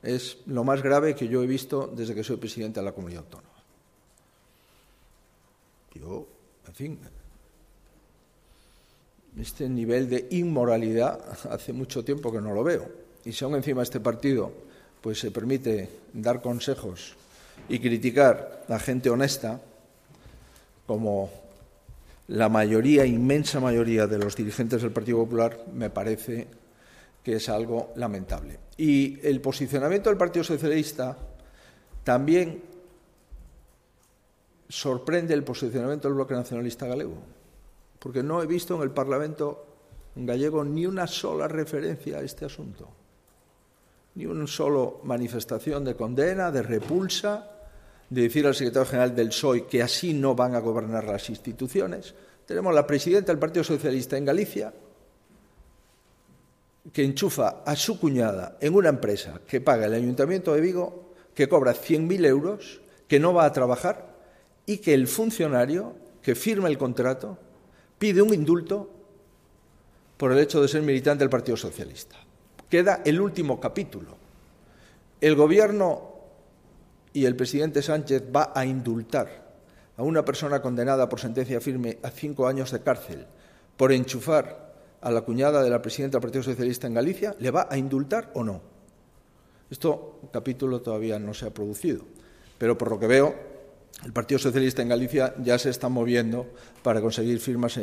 es lo más grave que yo he visto desde que soy presidente de la Comunidad Autónoma. Yo, en fin, este nivel de inmoralidad hace mucho tiempo que no lo veo. Y si aún encima este partido pues se permite dar consejos y criticar a gente honesta, como la mayoría, inmensa mayoría de los dirigentes del Partido Popular, me parece que es algo lamentable. Y el posicionamiento del Partido Socialista también sorprende el posicionamiento del Bloque Nacionalista Galego, porque no he visto en el Parlamento gallego ni una sola referencia a este asunto, ni una sola manifestación de condena, de repulsa, de decir al secretario general del PSOE que así no van a gobernar las instituciones. Tenemos la presidenta del Partido Socialista en Galicia que enchufa a su cuñada en una empresa que paga el Ayuntamiento de Vigo, que cobra 100.000 euros, que no va a trabajar y que el funcionario que firma el contrato pide un indulto por el hecho de ser militante del Partido Socialista. Queda el último capítulo. El Gobierno y el presidente Sánchez va a indultar a una persona condenada por sentencia firme a 5 años de cárcel por enchufar a la cuñada de la presidenta del Partido Socialista en Galicia. ¿Le va a indultar o no? Este capítulo todavía no se ha producido. Pero por lo que veo, el Partido Socialista en Galicia ya se está moviendo para conseguir firmas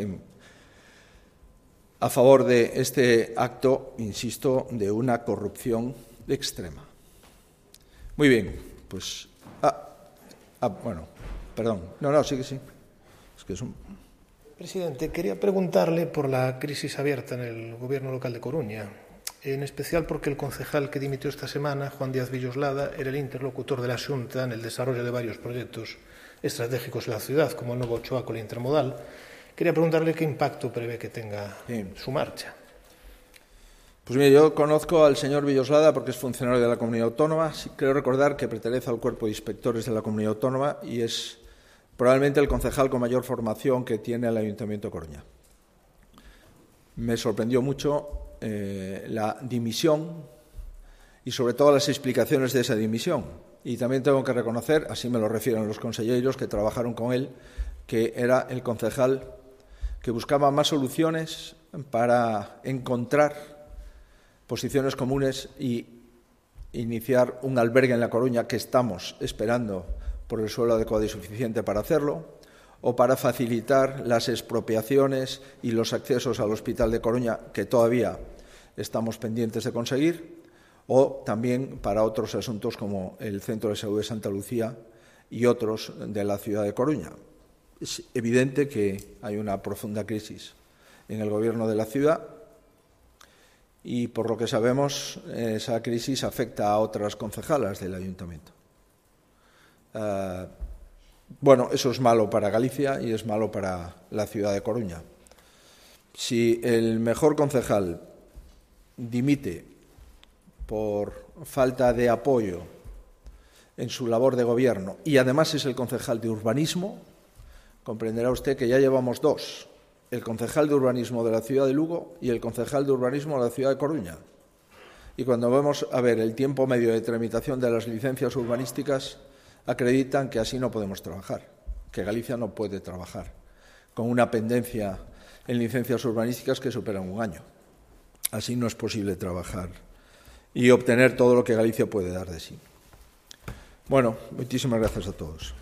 a favor de este acto, insisto, de una corrupción extrema. Muy bien, pues... bueno, perdón. No, sí que sí. Es que es un... Presidente, quería preguntarle por la crisis abierta en el Gobierno local de Coruña, en especial porque el concejal que dimitió esta semana, Juan Díaz Villoslada, era el interlocutor de la Xunta en el desarrollo de varios proyectos estratégicos en la ciudad, como el nuevo Choaco Intermodal. Quería preguntarle qué impacto prevé que tenga su marcha. Pues mire, yo conozco al señor Villoslada porque es funcionario de la Comunidad Autónoma. Sí, creo recordar que pertenece al cuerpo de inspectores de la Comunidad Autónoma y es probablemente el concejal con mayor formación que tiene el Ayuntamiento de Coruña. Me sorprendió mucho la dimisión y sobre todo las explicaciones de esa dimisión. Y también tengo que reconocer, así me lo refieren los conselleiros que trabajaron con él, que era el concejal que buscaba más soluciones para encontrar posiciones comunes y iniciar un albergue en La Coruña, que estamos esperando por el suelo adecuado y suficiente para hacerlo, o para facilitar las expropiaciones y los accesos al Hospital de Coruña, que todavía estamos pendientes de conseguir, o también para otros asuntos como el Centro de Salud de Santa Lucía y otros de la ciudad de Coruña. Es evidente que hay una profunda crisis en el gobierno de la ciudad y, por lo que sabemos, esa crisis afecta a otras concejalas del ayuntamiento. Bueno, eso es malo para Galicia y es malo para la ciudad de Coruña. Si el mejor concejal dimite por falta de apoyo en su labor de gobierno y además es el concejal de urbanismo, comprenderá usted que ya llevamos dos, el concejal de urbanismo de la ciudad de Lugo y el concejal de urbanismo de la ciudad de Coruña. Y cuando vamos a ver el tiempo medio de tramitación de las licencias urbanísticas, acreditan que así no podemos trabajar, que Galicia no puede trabajar con una pendencia en licencias urbanísticas que superan un año. Así no es posible trabajar y obtener todo lo que Galicia puede dar de sí. Bueno, muchísimas gracias a todos.